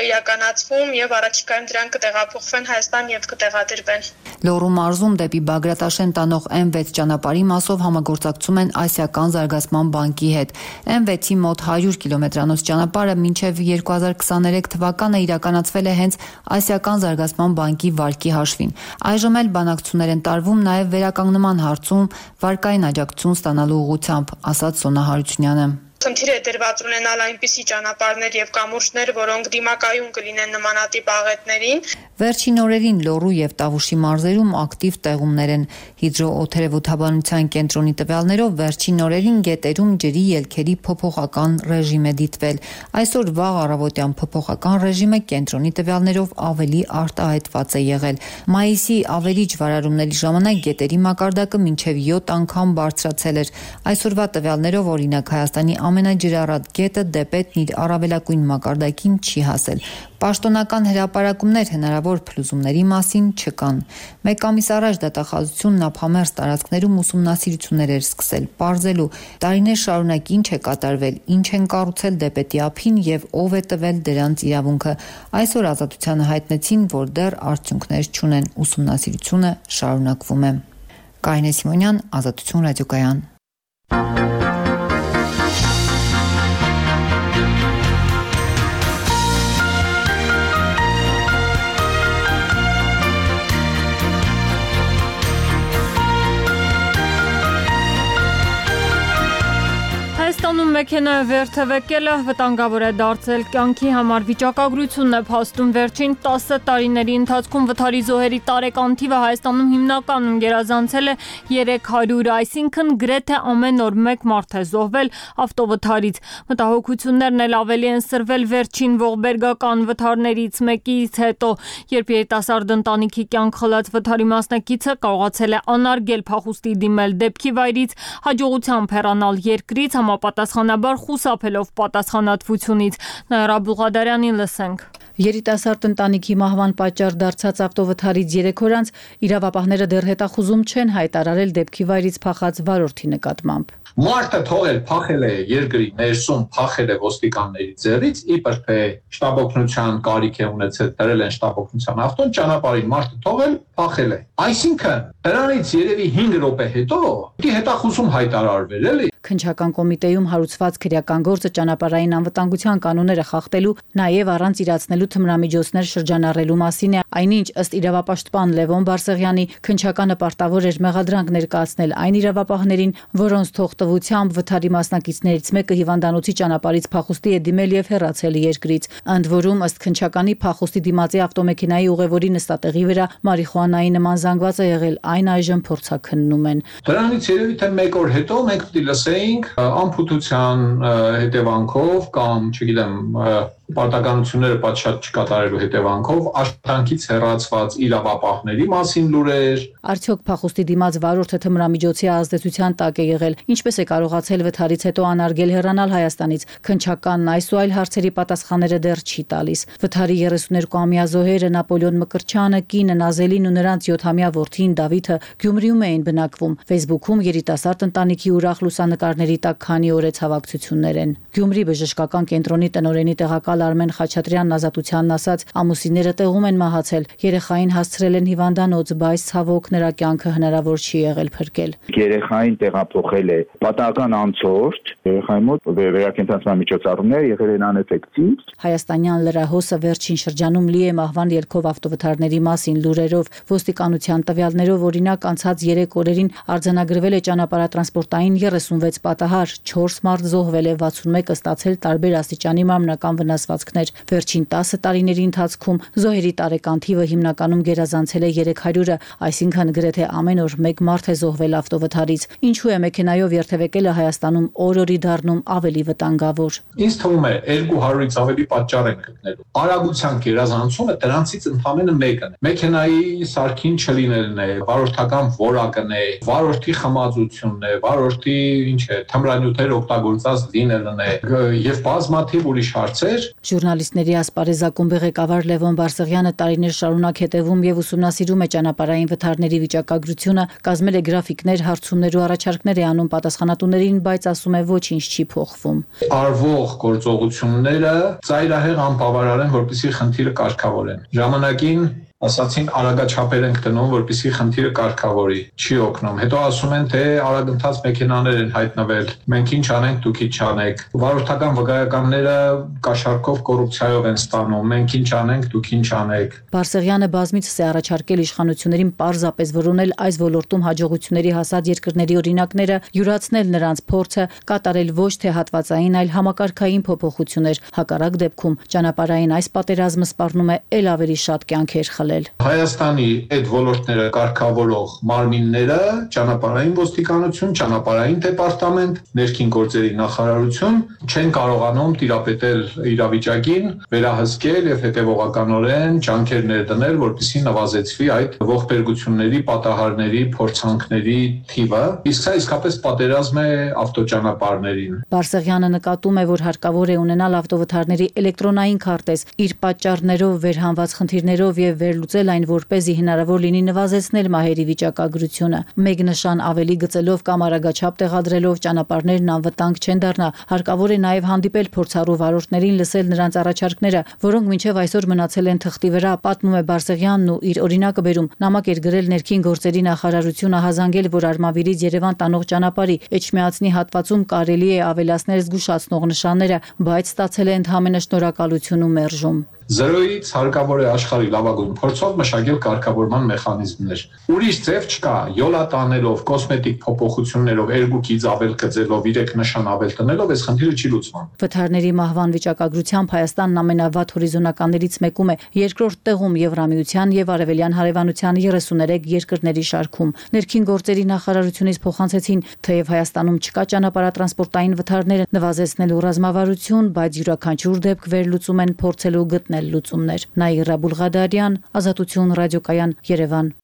իրականացվում եւ առաջիկայում դրանք կտեղափոխվեն Հայաստան եւ կտեղադրվեն։ Լոռու մարզում դեպի Բագրատաշեն տանող էմ վեց ճանապարհի մասով համագործակցում են Ասիական զարգացման բանկի հետ։ էմ վեցի մոտ հարյուր կիլոմետրանոց ճանապարհը մինչև երկու հազար քսաներեք թվականը իրականացվել է հենց Ասիական զարգացման բանկի վարկի հաշվին։ Այժմ էլ բանակցություններ են տարվում նաեւ վերականգնման հարցում վարկային աջակցություն ստանալու ուղղությամբ, ասաց Սոնա Հարությունյանը։ Խնդիր է դրված ունենալ այնպիսի ճանապարհներ եւ կամուրջներ, որոնք դիմակայուն կլինեն նմանատիպ աղետներին։ Վերջին օրերին Լոռու եւ Տավուշի մարզերում ակտիվ տեղումներ են։ Հիդրոօթերևութաբանության կենտրոնի տվյալներով վերջին օրերին գետերում ջրի ելքերի փոփոխական ռեժիմ է դիտվել։ Այսօր վաղ առավոտյան փոփոխական ռեժիմը կենտրոնի տվյալներով ավելի արտահայտված է եղել։ Մայիսի ավերիչ վարարումների ժամանակ գետերի մակարդակը մինչև յոթ անգամ բարձրացել էր։ Այսօրվա տվյալներով օրինակ Հայաստանի ամենաջրառատ գետը Դեպետն իր առավելագույն մակարդակին չի հասել։ Պաշտոնական հրապարակումներ հնարավոր փլուզումների մասին չկան։ Մեկ ամիս առաջ դատախազությունն ափամերձ տարածքներում ուսումնասիրություններ էր սկսել, պարզելու տարիներ շարունակ ինչ է կատարվել, ինչ են կառուցել Դեպետի ափին եւ ով է տվել դրանց իրավունքը։ Այսօր Ազատությանը հայտնեցին, որ դեռ արդյունքներ չունեն, ուսումնասիրությունը շարունակվում է։ Կարինե Սիմոնյան, Ազատություն ռադիոկայան։ Հայաստանում մեքենայով վերթևեկելը վտանգավոր է դարձել կյանքի համար։ Վիճակագրությունն է փաստում վերջին տասը տարիների ընթացքում վթարի զոհերի տարեկան թիվը Հայաստանում հիմնականում գերազանցել է երեք հարյուր, այսինքն գրեթե ամեն օր մեկ մարդ է զոհվել ավտովթարից։ Մտահոգություններն էլ ավելի են սրվել վերջին ողբերգական վթարներից մեկից հետո, երբ երիտասարդ ընտանիքի կյանք խլած վթարի մասնակիցը կարողացել է անարգել փախուստի դիմել դեպքի վայրից, հաջողությամբ հեռանալ երկրից, համապատասխանաբար խուսափելով պատասխանատվությունից։ Նաիրա Բուղադարյանին լսենք։ Երիտասարդ ընտանիքի մահվան պատճառ դարձած ավտովթարից երեք օր անց իրավապահները դեռ հետախուզում չեն հայտարարել դեպքի վայրից փախած վարորդի նկատմամբ։ Մարդը թողել փախել է երկրի ներսում, փախել է ոստիկանների ձեռից, իբր թե շտաբօգնության կարիք է ունեցել, դրել են շտաբօգնության ավտոն, ճանապարհին մարդը թողել, փախել է։ Այսինքն դրանից երևի հինգ րոպե հետո պիտի հետախուզում հայտարարվել, էլի։ Քննչական կոմիտեում հարուցված քրեական գործը ճանապարհային անվտանգության կանոնները խախտելու, նաև առանց իրացնելու թմրամիջոցներ շրջանառելու մասին է, այնինչ ըստ իրավապաշտպան Լևոն Բարսեղյանի քննչականը պարտավոր էր մեղադրանք ներկայացնել այն իրավապահներին, որոնց թողտվությամբ վթարի մասնակիցներից մեկը հիվանդանոցի ճանապարհից փախուստի է դիմել եւ հեռացել երկրից։ Ընդ որում ըստ քննչականի փախուստի դիմացի ավտոմեքենայի ուղևորի նստատեղի վրա մարիխուանայի նման զանգված է եղել, այն այժմ փորձաքննում են։ Դրանից երևի թե մեկ օր հետո մենք պիտի լսենք անփութության հետևանքով կամ, չգիտեմ, պարտականությունները պատշաճ չկատարելու հետևանքով աշխատանքից հեռացված իրավապահների մասին լուրեր։ Արդյոք փախուստի դիմաց վարորդը թմրամիջոցի ազդեցության տակ է եղել, ինչպես է կարողացել վթարից հետո անարգել հեռանալ Հայաստանից։ Քննչականն այս ու այլ հարցերի պատասխանները դեռ չի տալիս։ Վթարի երեսուներկուամյա զոհերը Նապոլեոն Մկրտչյանը, կինը Նազելին ու նրանց յոթամյա որդին Դավիթը Գյումրիում էին բնակվում։ Facebook-ում երիտասարդ ընտանիքի ուրախ լուսանկարների տակ քանի օր է ցավակցություններ են։ Գյումրի բժշկական կենտրոնի տնօրենի տեղակալ Արմեն Խաչատրյանն Ազատությանն ասաց, ամուսինները տեղում են մահացել, երեխային հասցրել են հիվանդանոց, բայց ցավոք նրա կյանքը հնարավոր չի եղել փրկել։ Երեխային տեղափոխել է պատահական անցորդ, երեխայի մոտ վերակենդանացման միջոցառումներ եղել են անէֆեկտիվ։ Հայաստանյան լրահոսը վերջին շրջանում լի է մահվան ելքով ավտովթարների մասին լուրերով։ Ոստիկանության տվյալներով օրինակ անցած երեք օրերին արձանագրվել է ճանապարհատրանսպորտային երեսունվեց պատահար, չորս մարդ զոհվել է, վաթսունմեկը ստացել տարբեր աստիճանի մարմնական վնասվածքներ։ Վերջին տասը տարիների ընթացքում զոհերի տարեկան թիվը հիմնականում գերազանցել է երեք հարյուրը, այսինքն գրեթե ամեն օր մեկ մարդ է զոհվել ավտովթարից։ Ինչու է մեքենայով երթևեկելը Հայաստանում օր-օրի դառնում ավելի վտանգավոր։ Ինձ թվում է երկու հարյուրից ավելի պատճառ են գտնելու։ Արագության գերազանցումը դրանցից ընդամենը մեկն է։ Մեքենայի սարքին չլինելն է, վարորդական որակն է, վարորդի խմածությունն է, վարորդի ինչ է, թմրանյութեր օգտագործած լինելն է եւ բազմաթիվ ուրիշ հարցեր։ Ժուրնալիստների ասպարեզակումբի ղեկավար Լևոն Բարսեղյանը տարիներ շարունակ հետևում եւ ուսումնասիրում է ճանապարհային վթարների վիճակագրությունը, կազմել է գրաֆիկներ, հարցումներ ու առաջարկներ է անում պատասխանատուներին, բայց ասում է ոչինչ չի փոխվում։ Արվող գործողությունները ծայրահեղ անբավարար են, որպեսզի խնդիրը կարգավորեն։ Ժամանակին ասացին արագաչափեր ենք դնում, որպեսզի խնդիրը կարգավորի, չի օգնում։ Հետո ասում են, թե արագընթաց մեքենաներ են հայտնվել, մենք ինչ անենք, դուք ինչ անեք։ Վարորդական վկայականները կաշառքով կոռուպցիայով են ստանում, մենք ինչ անենք, դուք ինչ անեք։ Բարսեղյանը բազմիցս է առաջարկել իշխանություններին պարզապես որոնել այս ոլորտում հաջողությունների հասած երկրների օրինակները, յուրացնել նրանց փորձը, կատարել ոչ թե հատվածային, այլ համակարգային փոփոխություններ։ Հակառակ դեպքում ճանապարհային այս պատերազմը սպառնում է ել ավելի շատ կյանքեր խլել։ Հայաստանի այդ ոլորտները կարգավորող մարմինները ճանապարհային ոստիկանություն, ճանապարհային դեպարտամենտ, ներքին գործերի նախարարություն չեն կարողանում տիրապետել իրավիճակին, վերահսկել եւ հետեւողականորեն ջանքեր ներդնել, որպեսզի նվազեցվի այդ ողբերգությունների, պատահարների, փորձանքների թիվը։ Իսկ սա իսկապես պատերազմ է ավտոճանապարհներին։ Բարսեղյանը նկատում է, որ հարկավոր է ունենալ ավտովթարների էլեկտրոնային քարտեզ, իր պատճառներով վերհանված խնդիրներով եւ լուծել այն, որպեսզի հնարավոր լինի նվազեցնել մահերի վիճակագրությունը։ Մեկ նշան ավելի գծելով կամ արագաչափ տեղադրելով ճանապարհներն անվտանգ չեն դառնա։ Հարկավոր է նաև հանդիպել փորձառու վարորդներին, լսել նրանց առաջարկները, որոնք մինչև այսօր մնացել են թղթի վրա, պատմում է Բարսեղյանն ու իր օրինակը բերում։ Նամակ էր գրել ներքին գործերի նախարարությունը հազանգել, որ Արմավիրից Երևան տանող ճանապարհի Էջմիածնի հատվածում կարելի է ավելացնել զգուշացնող նշանները, բայց ստացել է ընդհանրապես շնորհակալություն ու մերժում։ Զրոյից հարկավոր է աշխարհի լավագույն փորձով մշակել կարգավորման մեխանիզմներ։ Ուրիշ ձև չկա, յոլա տանելով, կոսմետիկ փոփոխություններով, երկուքից ավել գծելով, իրեք նշան ավել տնելով, այս խնդիրը չի լուծվում։ Վթարների մահվան վիճակագրությամբ Հայաստանն ամենավատ հորիզոնականներից մեկում է, երկրորդ տեղում Եվրամիության եւ Արևելյան հարևանության երեսուներեք երկրների շարքում։ Ներքին գործերի նախարարությունից փոխանցեցին, թեև Հայաստանում չկա ճանապարհատրանսպորտային վթարներ նվազեցնելու ռազմավարություն, բայց յուրաքանչյուր դեպք վերլուծում են փորձելու գտնել լուծումներ։ Նաիրա Բուլղադարյան, Ազատություն ռադիոկայան, Երևան։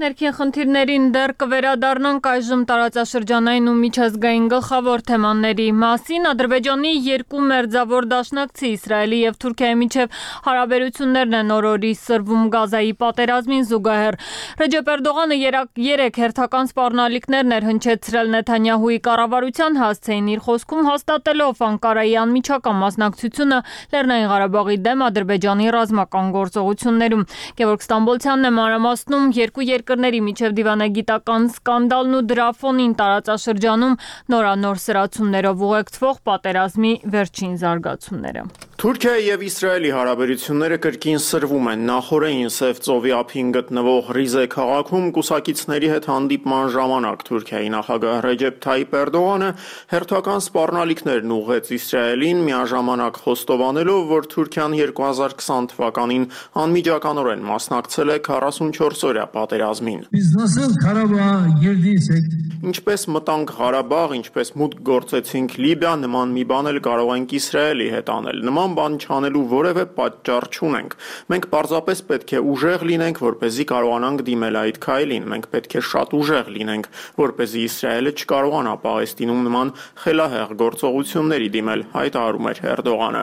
Ներքին խնդիրներին դեռ կվերադառնանք այժմ տարածաշրջանային ու միջազգային գլխավոր թեմաների մասին։ Ադրբեջանի երկու մերձավոր դաշնակցի Իսրայելի եւ Թուրքիայի միջև հարաբերություններն են օր-օրի սրվում Գազայի պատերազմին զուգահեռ։ Ռեջեփ Էրդողանը երեք հերթական սպառնալիքներ ներհնչեցրել Նեթանյահուի կառավարության, հասցեին իր խոսքում հաստատելով Անկարայի անմիջական մասնակցությունը Լեռնային Ղարաբաղի դեմ Ադրբեջանի ռազմական գործողություններում։ Գևորգ Ստամբոլցյանն է մանրամասնում երկու երկրների միջև դիվանագիտական սկանդալն ու դրա ֆոնին տարածաշրջանում նորանոր սրացումներով ուղեկցվող պատերազմի վերջին զարգացումները։ Թուրքիայի եւ Իսրայելի հարաբերությունները կրկին սրվում են։ Նախորդին Սև ծովի ափին գտնվող Ռիզե քաղաքում կուսակիցների հետ հանդիպման ժամանակ Թուրքիայի նախագահ Ռեջեփ Թայիփ Էրդողանը հերթական սպառնալիքներն ուղղեց Իսրայելին, միաժամանակ խոստովանելով, որ Թուրքիան երկու հազար քսան թվականին անմիջականորեն մասնակցել է քառասունչորս-օրյա պատերազմին։ Ինչպես մտանք Ղարաբաղ, ինչպես մուտք գործեցինք Լիբիա, նման մի բան էլ կարող ենք Իսրայելի հետ անել։ Նման բան չանելու որևէ պատճառ չունենք։ Մենք պարզապես պետք է ուժեղ լինենք, որպեսզի կարողանանք դիմել այդ քայլին։ Մենք պետք է շատ ուժեղ լինենք, որպեսզի Իսրայելը չկարողանա Պաղեստինում նման խելահեղ գործողությունների դիմել, հայտարարում էր Էրդողանը։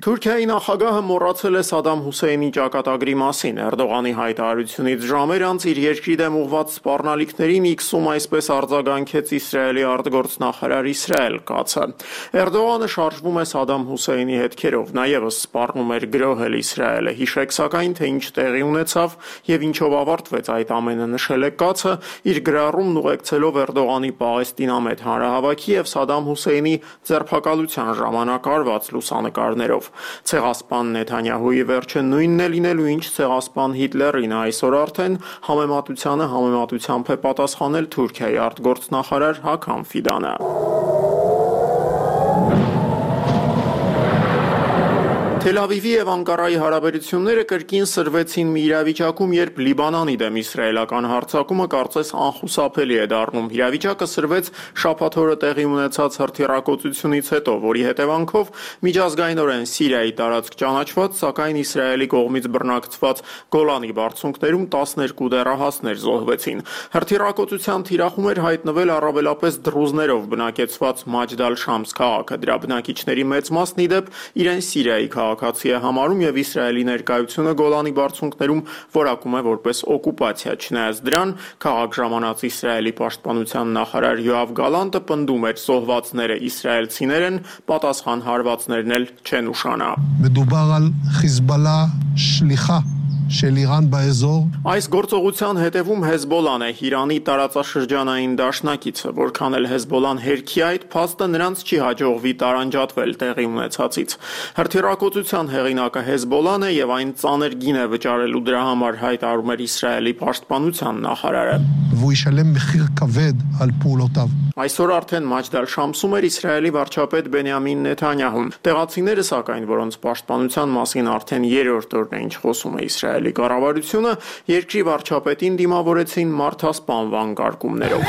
Թուրքիայի նախագահը մոռացել է Սադամ Հուսեյնի ճակատագրի մասին։ Էրդողանի հայտարարությունից ժամեր անց իր երկրի դեմ ուղղված սպառնալիքներին Իքսում այսպես արձագանքեց Իսրայելի արտգործնախարար Իսրայել Կացը։ Էրդողանը շարժվում է Սադամ Հուսեյնի հետքերով, նա ևս սպառնում էր գրոհել Իսրայելը։ Հիշեք սակայն, թե ինչ տեղի ունեցավ եւ ինչով ավարտվեց այդ ամենը, նշել է Կացը, իր գրառումն ուղեկցելով Էրդողանի Պաղեստինամետ հանրահավաքի եւ Սադամ Հուսեյնի ձերբակալության ժամանակ արված լուսանկարներով։ Ցեղասպան Նեթանյահուի վերջը նույնն է լինելու, ինչ ցեղասպան Հիտլերին, այսօր արդեն համեմատությանը համեմատությամբ է պատասխանել Թուրքիայի արտգործնախարար Հական Ֆիդանը։ Թել Ավիվի եւ Անկարայի հարաբերությունները կրկին սրվեցին մի իրավիճակում, երբ Լիբանանի դեմ իսրայելական հարձակումը կարծես անխուսափելի է դառնում։ Իրավիճակը սրվեց շաբաթ օրը տեղի ունեցած հրթիռակոծությունից հետո, որի հետևանքով միջազգայինորեն Սիրիայի տարածք ճանաչված, սակայն Իսրայելի կողմից բռնակցված Գոլանի բարձունքներում տասներկու դեռահասներ զոհվեցին։ Հրթիռակոծության թիրախում էր հայտնվել առավելապես դրուզներով բնակեցված Մաջդ ալ-Շամս քաղաքը։ Դրա բնակիչների մեծ մասն ի դեպ իրեն Սիրիայի քաղաքացի է համարում եւ Իսրայելի ներկայությունը Գոլանի բարձունքներում որակում է որպես օկուպացիա։ Չնայած դրան, քաղաք ժամանած Իսրայելի պաշտպանության նախարար Յոավ Գալանտը պնդում էր, զոհվածները իսրայելցիներ են, պատասխան հարվածներն էլ չեն ուշանա։ מדובר על חיזבאללה שליחה של איראן באזור. Այս գործողության հետևում Հեզբոլան է, Իրանի տարածաշրջանային դաշնակիցը, որքան էլ Հեզբոլան հերքի այդ փաստը նրանց չի հաջողվի տարանջատվել տեղի ունեցածից։ Հրթիռակոծության հեղինակը Հեզբոլան է եւ այն ծանր գին է վճարելու դրա համար, հայտարարում էր Իսրայելի պաշտպանության նախարարը։ והוא ישלם מחיר כבד על פעולותיו. Այսօր արդեն Մաջդ ալ-Շամսում էր Իսրայելի վարչապետ Բենյամին Նեթանյահուն։ Տեղացիները, սակայն, որոնց պաշտպանության մասին արդեն երրորդ օրն է ինչ խոսում է Իսրայելի կառավարությունը, երկրի վարչապետին դիմավորեցին մարդասպանվան կարգումներով։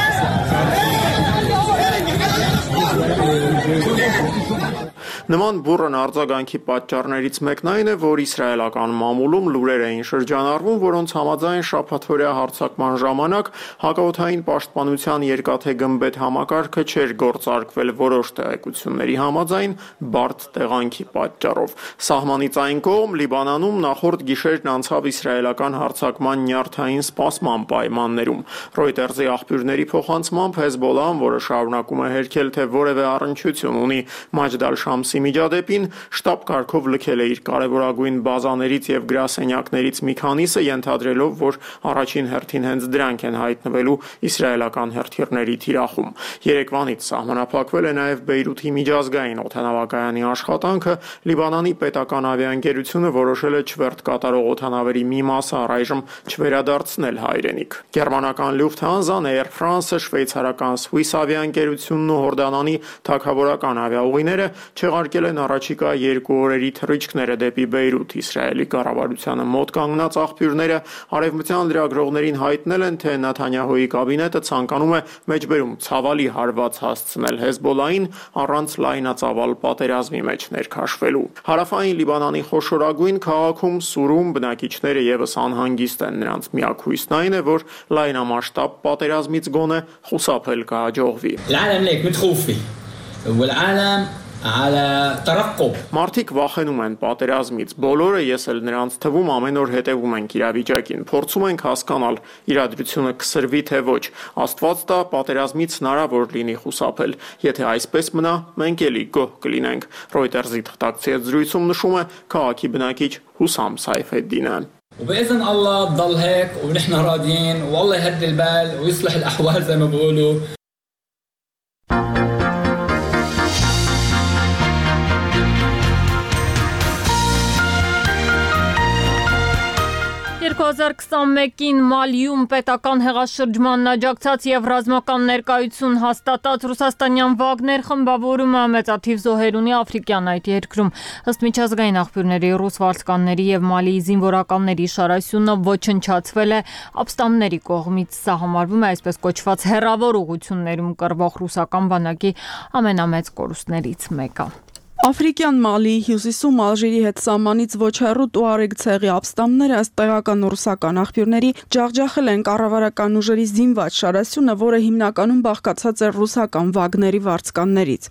Նման բուռն արձագանքի պատճառներից մեկն այն է, որ իսրայելական մամուլում լուրեր էին շրջանառվում, որոնց համաձայն շաբաթօրյա հարձակման ժամանակ հակաօդային պաշտպանության երկաթե գմբեթ համակարգը չէր գործարկվել որոշ տեղեկությունների համաձայն բարդ տեղանքի պատճառով։ Սահմանից այն կողմ Լիբանանում նախորդ գիշերն անցավ իսրայելական հարձակման նյարդային սպասման պայմաններում։ Ռոյտերզի աղբյուրների փոխանցմամբ Հեզբոլան, որը շարունակում է հերքել, թե որևէ առնչություն ունի Մաջդ ալ-Շամսի միջադեպին, շտաբ կարգով լքել է իր կարևորագույն բազաներից եւ գրասենյակներից մի քանիսը, ենթադրելով, որ առաջին հերթին հենց դրանք են հայտնվելու իսրայելական հրթիռների թիրախում։ Երեկվանից սահմանափակվել է նաեւ Բեյրութի միջազգային օդանավակայանի աշխատանքը, Լիբանանի պետական ավիաընկերությունը որոշել է չվերթ կատարող օդանավերի մի մասը առայժմ չվերադարձնել հայրենիք։ Գերմանական Lufthansa-ն, Air France-ը, շվեյցարական Swiss ավիաընկերությունն ու Հորդանանի թագավորական ավիաուղիները չեղարկել են առաջիկա երկու օրերի թռիչքները դեպի Բեյրութ։ Իսրայելի կառավարությանը մոտ կանգնած աղբյուրները արևմտյան լրագրողներին հայտնել են, թե Նեթանյահուի կաբինետը ցանկանում է մեջբերում ցավալի հարված հասցնել Հեզբոլային առանց լայնածավալ պատերազմի մեջ ներքաշվելու։ Հարավային Լիբանանի խոշորագույն քաղաքում Սուրում բնակիչները եւս անհանգիստ են։ Նրանց միակ հույսն այն է, որ լայնամասշտաբ պատերազմից գոնե խուսափել կհաջողվի։ Մարդիկ վախենում են պատերազմից, բոլորը, ես էլ նրանց թվում ամեն օր հետևում ենք իրավիճակին, փորձում ենք հասկանալ իրադրությունը կսրվի թե ոչ, Աստված տա պատերազմից հնարավոր լինի խուսափել, եթե այսպես մնա, մենք էլի գոհ կլինենք։ Ռոյտերզի թղթակցի հետ զրույցում նշում է քաղաքի բնակիչ Հուսամ Սայֆեդդինը։ وبإذن الله تضل هيك ونحن راضيين والله يهدي البال ويصلح الأحوال زي ما بقولوا երկու հազար քսանմեկին Մալիում պետական հեղաշրջմանն աջակցած եւ ռազմական ներկայություն հաստատած ռուսաստանյան Վագներ խմբավորումը մեծաթիվ զոհեր ունի աֆրիկյան այդ երկրում։ Ըստ միջազգային աղբյուրների ռուս վարձկանների եւ Մալիի զինվորականների շարասյունը ոչնչացվել է ապստամբների կողմից։ Սա համարվում է այսպես կոչված հեռավոր ուղություններում կռվող ռուսական բանակի ամենամեծ կորուստներից մեկը։ Աֆրիկյան Մալիի հյուսիսում Ալժիրի հետ սահմանից ոչ հեռու Տուարեգ ցեղի ապստամբները ըստ տեղական ռուսական աղբյուրների ջախջախել են կառավարական ուժերի զինված շարասյունը, որը հիմնականում բաղկացած էր ռուսական Վագների վարձկաններից։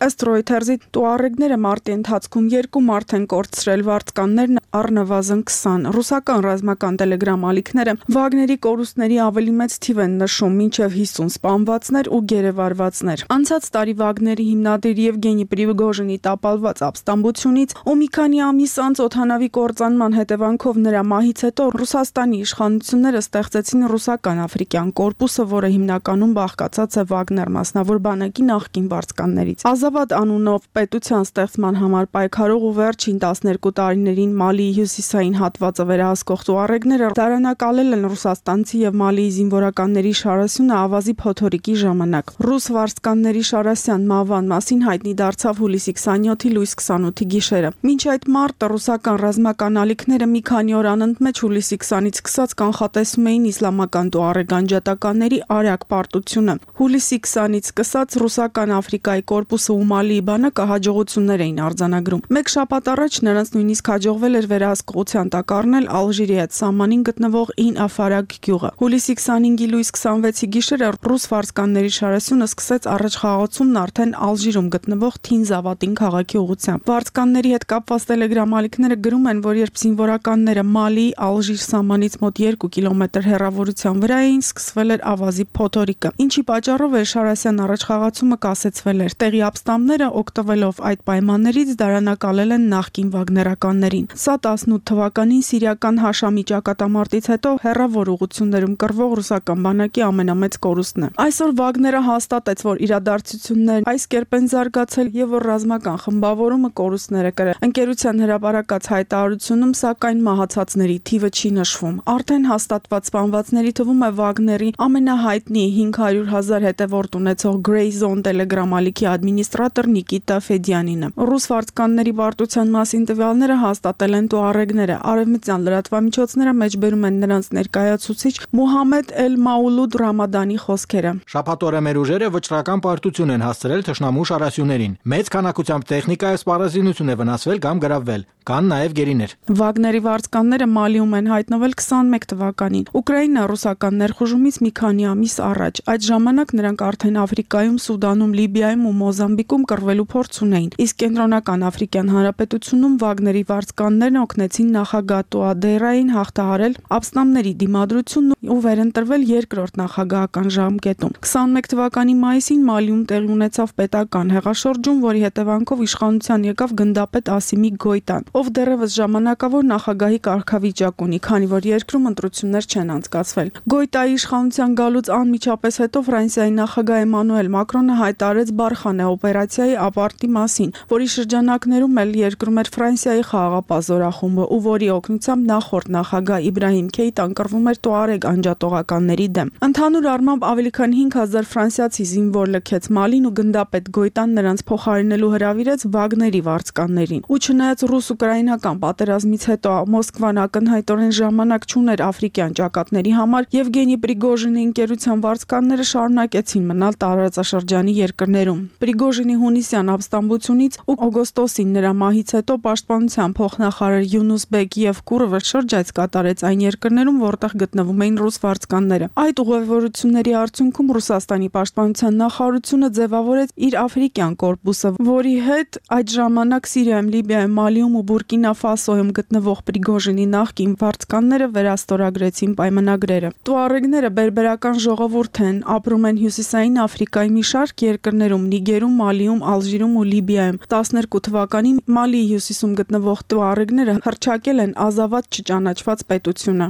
Ըստ Reuters-ի Տուարեգները մարտի ընթացքում երկու մարդ են կորցրել, վարձկաններն առնվազն քսան։ Ռուսական ռազմական տելեգրամ ալիքները Վագների կորուստների ավելի մեծ թիվ են նշում, մինչև հիսուն սպանվածներ ու գերեվարվածներ։ Անցած տարի Վագների հիմնադիր Եվգենի Պրիգոժինի տապալված ապստամբությունից ու մի քանի ամիս անց օդանավի կործանման հետևանքով նրա մահից հետո Ռուսաստանի իշխանությունները ստեղծեցին ռուսական աֆրիկյան կորպուսը, որը հիմնականում բաղկացած է Վագներ մասնավոր բանակի նախկին վարձկաններից։ Ազավատ անունով պետության ստեղծման համար պայքարող ու վերջին տասներկու տարիներին Մալիի հյուսիսային հատվածը վերահսկող Տուարեգները դարանակալել են ռուսաստանցի եւ Մալիի զինվորականների շարասյունը ավազի փոթորիկի ժամանակ։ Ռուս վարձկանների շարասյան մահվան մասին հայտնի դարձավ հուլիսի քսանյոթի լույս քսանութի գիշերը։ Մինչ այդ մարտը ռուսական ռազմական ալիքները մի քանի օր անընդմեջ հուլիսի քսանից սկսած կանխատեսում էին իսլամական Տուարեգ անջատականների արագ պարտությունը։ Հուլիսի քսանից սկսած ռուսական Աֆրիկայի կորպուսը ու Մալիի բանակը հաջողություններ էին արձանագրում։ Մեկ շաբաթ առաջ նրանց նույնիսկ հաջողվել էր վերահսկողության տակ առնել Ալժիրի հետ սահմանին գտնվող Ին Աֆարագ գյուղը։ Հուլիսի քսանհինգի լույս քսանվեցի գիշերը ռուս վարձկանների շարասյունը սկսեց առաջխաղացումն արդեն Ալժիրում գտնվող Թինզավատին քաղաքի ուղղությամբ։ Վարձկանների հետ կապված տելեգրամ ալիքները գրում են, որ երբ զինվորականները Մալիի Ալժիր սահմանից մոտ երկու կիլոմետր հեռավորության վրա էին, սկսվել էր ավազի փոթորիկը, ինչի պատճառով էր շարասյան առաջխաղացումը կասեցվել էր։ Տեղի ապստամբները օգտվելով այդ պայմաններից դարանակալել են նախկին վագներականներին։ Սա տասնութ թվականին սիրիական Հաշամի ճակատամարտից հետո հեռավոր ուղություններում կռվող ռուսական բանակի ամենամեծ կորուստն է։ Այսօր Վագները հաստատեց, որ իրադարձություններն այս կերպ են զարգացել եւ որ ռազմական խմբավորումը կորուստներ է կրել։ Ընկերության հրապարակած հայտարարությունում սակայն մահացածների թիվը չի նշվում։ Արդեն հաստատված սպանվածների թվում է Վագների ամենահայտնի հինգ հարյուր հազար հետևորդ ունեցող Grey Zone Telegram ալիքի ադմինիստրատոր Նիկիտա Ֆեդյանինը։ Ռուս վարձկանների պարտության մասին տվյալները հաստատել են Տուարեգները։ Արևմտյան լրատվամիջոցները մեջբերում են նրանց ներկայացուցիչ Մուհամեդ Էլ-Մաուլուդ Ռամադանի խոսքերը։ Շաբաթօրը մեր ուժերը վճռական պարտություն են հասցրել թշնամու շարասյուներին։ Մեծ քանակությամբ տեխնիկա եւ սպառազինություն է վնասվել կամ գրավվել։ Կան նաև գերիներ։ Վագների վարձկանները Մալիում են հայտնվել քսանմեկ թվականին։ Ուկրաինա ռուսական ներխուժումից մի քանի ամիս առաջ։ Այդ ժամանակ նրանք արդեն Աֆրիկայում, Սուդանում, Լիբիայում ու Մոզամբիկում կռվելու փորձ ունեին։ Իսկ Կենտրոնական Աֆրիկյան Հանրապետությունում Վագների վարձկաններն օգնեցին նախագահ Տուադերային հաղթահարել ապստամբների դիմադրությունն ու վերընտրվել երկրորդ նախագահական ժամկետում։ քսանմեկ թվականի մայիսին Մալիում տեղի ունեցավ պետական հեղաշրջում, որի հետևանքով իշխանության եկավ գնդապետ Ասիմի Գոյտան, ով դեռևս ժամանակավոր նախագահի կարգավիճակ ունի, քանի որ երկրում ընտրություններ չեն անցկացվել։ Գոյտայի իշխանության գալուց անմիջապես հետո Ֆրանսիայի նախագահ Էմանուել Մակրոնը հայտարարեց Բարխանե օպերացիայի ապարտի մասին, որի շրջանակներում էլ երկրում էր Ֆրանսիայի խաղաղապահ զորախումբը, ու որի օգնությամբ նախորդ նախագահ Իբրահիմ Քեյտան կռվում էր Տուարեգ անջատողականների դեմ։ Ընդհանուր առմամբ ավելի քան հինգ հազար ֆրանսիացի զինվոր լքեց Մալին ու գնդապետ Գոյտան նրանց փոխարինելու հրավիրեց Վագների վարձկաններին։ Ու չնայած ռուս-ուկրաինական պատերազմից հետո Մոսկվան ակնհայտորեն ժամանակ չուներ աֆրիկյան ճակատների համար, Եվգենի Պրիգոժինի ընկերության վարձկանները շարունակեցին մնալ տարածաշրջանի երկրներում։ Պրիգոժինի հունիսյան ապստամբությունից ու օգոստոսին նրա մահից հետո պաշտպանության փոխնախարար Յունուս Բեկ Եվկուրովը շրջայց կատարեց այն երկրներում, որտեղ գտնվում էին ռուս վարձկանները։ Այդ ուղևորությունների արդյունքում Ռուսաստանի պաշտպանության նախարարությունը ձևավորեց իր աֆրիկյան կորպուսը, որի հետ այդ ժամանակ Սիրիայում, Լիբիայում, Մալիում ու Բուրկինա Ֆասոյում գտնվող Պրիգոժինի նախկին վարձկանները վերաստորագրեցին պայմանագրերը։ Տուարեգները բերբերական ժողովուրդ են, ապրում են Հյուսիսային Աֆրիկայի մի շարք երկրներում՝ Նիգերում, Մալիում, Ալժիրում ու Լիբիայում։ տասներկու թվականին Մալիի հյուսիսում գտնվող տուարեգները հռչակել են ազավատ չճանաչված պետությունը։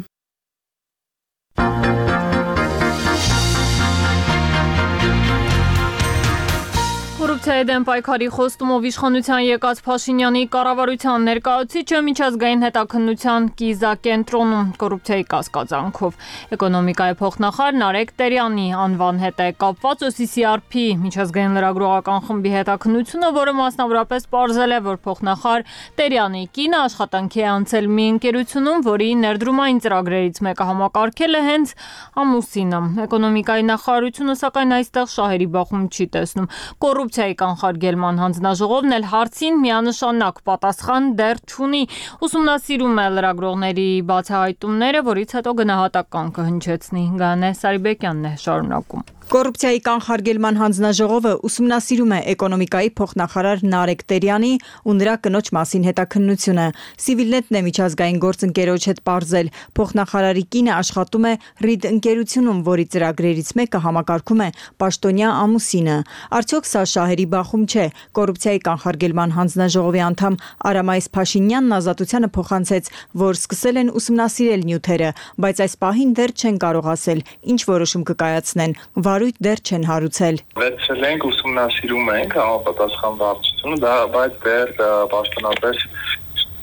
Կոռուպցիայի դեմ պայքարի խոստումով իշխանության եկած Փաշինյանի կառավարության ներկայացուցիչը միջազգային հետաքննության կիզակենտրոնում կոռուպցիայի կասկածանքով էկոնոմիկայի փոխնախարար Նարեկ Տերյանի անվան հետ է կապված O C C R P միջազգային լրագրողական խմբի հետաքննությունը, որը մասնավորապես պարզել է, որ փոխնախարար Տերյանի կինը աշխատանքի է անցել մի ընկերությունում, որի ներդրումային ծրագրերից մեկը համակարգել է հենց ամուսինը։ Էկոնոմիկայի նախարարությունը սակայն այստեղ շահերի բախում չի տեսնում։ Կոռուպցիայի կանխարգելման հանձնաժողովն էլ հարցին միանշանակ պատասխան դեռ չունի։ Ուսումնասիրում է լրագրողների բացահայտումները, որից հետո գնահատական կհնչեցնի։ Գանե Սարիբեկյանն է շարունակում։ Կոռուպցիայի կանխարգելման հանձնաժողովը ուսումնասիրում է էկոնոմիկայի փոխնախարար Նարեկ Տերյանի ու նրա կնոջ մասին հետաքննությունը։ Civilnet-ն է միջազգային գործընկերոջ հետ պարզել, փոխնախարարի կինը աշխատում է Reed ընկերությունում, որի ծրագրերից մեկը համակարգում է պաշտոնյա ամուսինը։ Արդյոք սա շահերի բախում չէ։ Կոռուպցիայի կանխարգելման հանձնաժողովի անդամ Արամայես Փաշինյանն ազատությանը փոխանցեց, որ սկսել են ուսումնասիրել նյութերը, բայց այս պահին դեռ չեն կարող ասել, ինչ որոշում կկայացնեն։ Վարույթ դեռ չեն հարուցել։ Վերցրել ենք, ուսումնասիրում ենք համապատասխան վարչությունը, դա բայց դեռ պաշտոնապես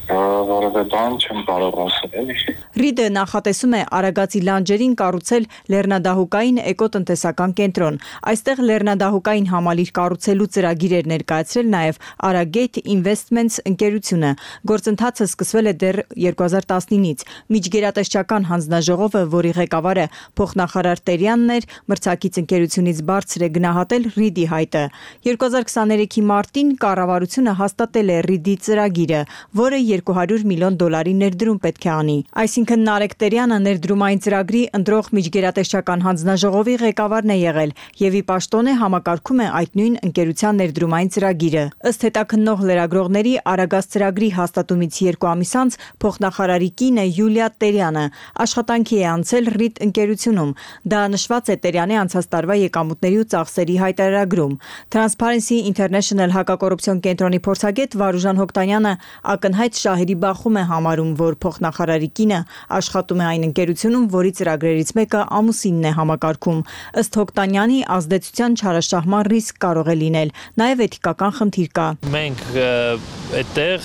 որևէ բան չեմ կարող ասել։ Ռիդը նախատեսում է Արագածի լանջերին կառուցել լեռնադահուկային էկոտնտեսական կենտրոն։ Այստեղ լեռնադահուկային համալիր կառուցելու ծրագիր էր ներկայացրել նաև Aragate Investments ընկերությունը։ Գործընթացը սկսվել է դեռ երկու հազար տասնինից։ Միջգերատեսչական հանձնաժողովը, որի ղեկավարը փոխնախարար Տերյանն էր, մրցակից ընկերությունից բարձր է գնահատել Ռիդի հայտը։ երկու հազար քսաներեքի մարտին կառավարությունը հաստատել է Ռիդի ծրագիրը, որը երկու հարյուր միլիոն դոլարի ներդրում պետք է անի։ Այսինքն Նարեկ Տերյանը ներդրումային ծրագրի ընտրող միջգերատեսչական հանձնաժողովի ղեկավարն է եղել եւ ի պաշտոնե համակարգում է այդ նույն ընկերության ներդրումային ծրագիրը։ Ըստ հետաքննող լրագրողների Արագած ծրագրի հաստատումից երկու ամիս անց փոխնախարարի կինը Յուլիա Տերյանը աշխատանքի է անցել Ռիդ ընկերությունում։ Դա նշված է Տերյանի անցած տարվա եկամուտների ու ծախսերի հայտարարագրում։ Transparency International հակակոռուպցիոն կենտրոնի փորձագետ Վարուժան Հոկտանյանը ակնհայտ շահերի բախում է համարում, որ փոխնախարարի կինը աշխատում է այն ընկերությունում, որի ծրագրերից մեկը ամուսինն է համակարգում։ Ըստ Հոկտանյանի ազդեցության չարաշահման ռիսկ կարող է լինել, նաև էթիկական խնդիր կա։ Մենք այդտեղ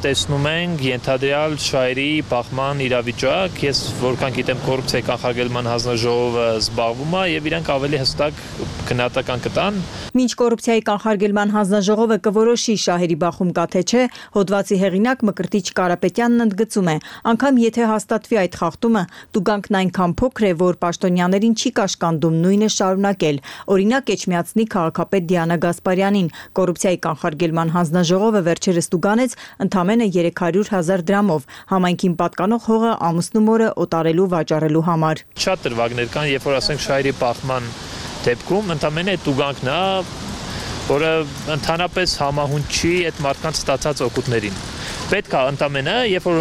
տեսնում ենք ենթադրյալ շահերի բախման իրավիճակ, ես որքան գիտեմ կոռուպցիայի կանխարգելման հանձնաժողովը զբաղվում է եւ իրանք ավելի հստակ գնահատական կտան։ Մինչ կոռուպցիայի կանխարգելման հանձնաժողովը կորոշի շահերի բախում կա թե չէ, հոդվածի հեղինակ Մկրտիչ Կարապետյանն ընդգծում է, անգամ եթե հաստատվի այդ խախտումը, տուգանքն այնքան փոքր է, որ պաշտոնյաներին չի կաշկանդում նույնը շարունակել։ Օրինակ Էջմիածնի քաղաքապետ Դիանա Գասպարյանին կոռուպցիայի կանխարգելման հանձնաժողովը վերջերս տուգանեց ընդամենը երեք հարյուր հազար դրամով համայնքին պատկանող հողը ամուսնու մորը օտարելու վաճառելու համար։ Շատ դրվագներ կան, երբ որ ասենք շահերի բախման դեպքում ընդամենը տուգանքն է, որը ընդհանրապես համահունչ չի այդ մարդկանց ստացած օգուտներին։ Պետք է ընդամենը, երբ որ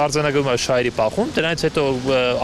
արձանագրում է շահերի բախում, դրանից հետո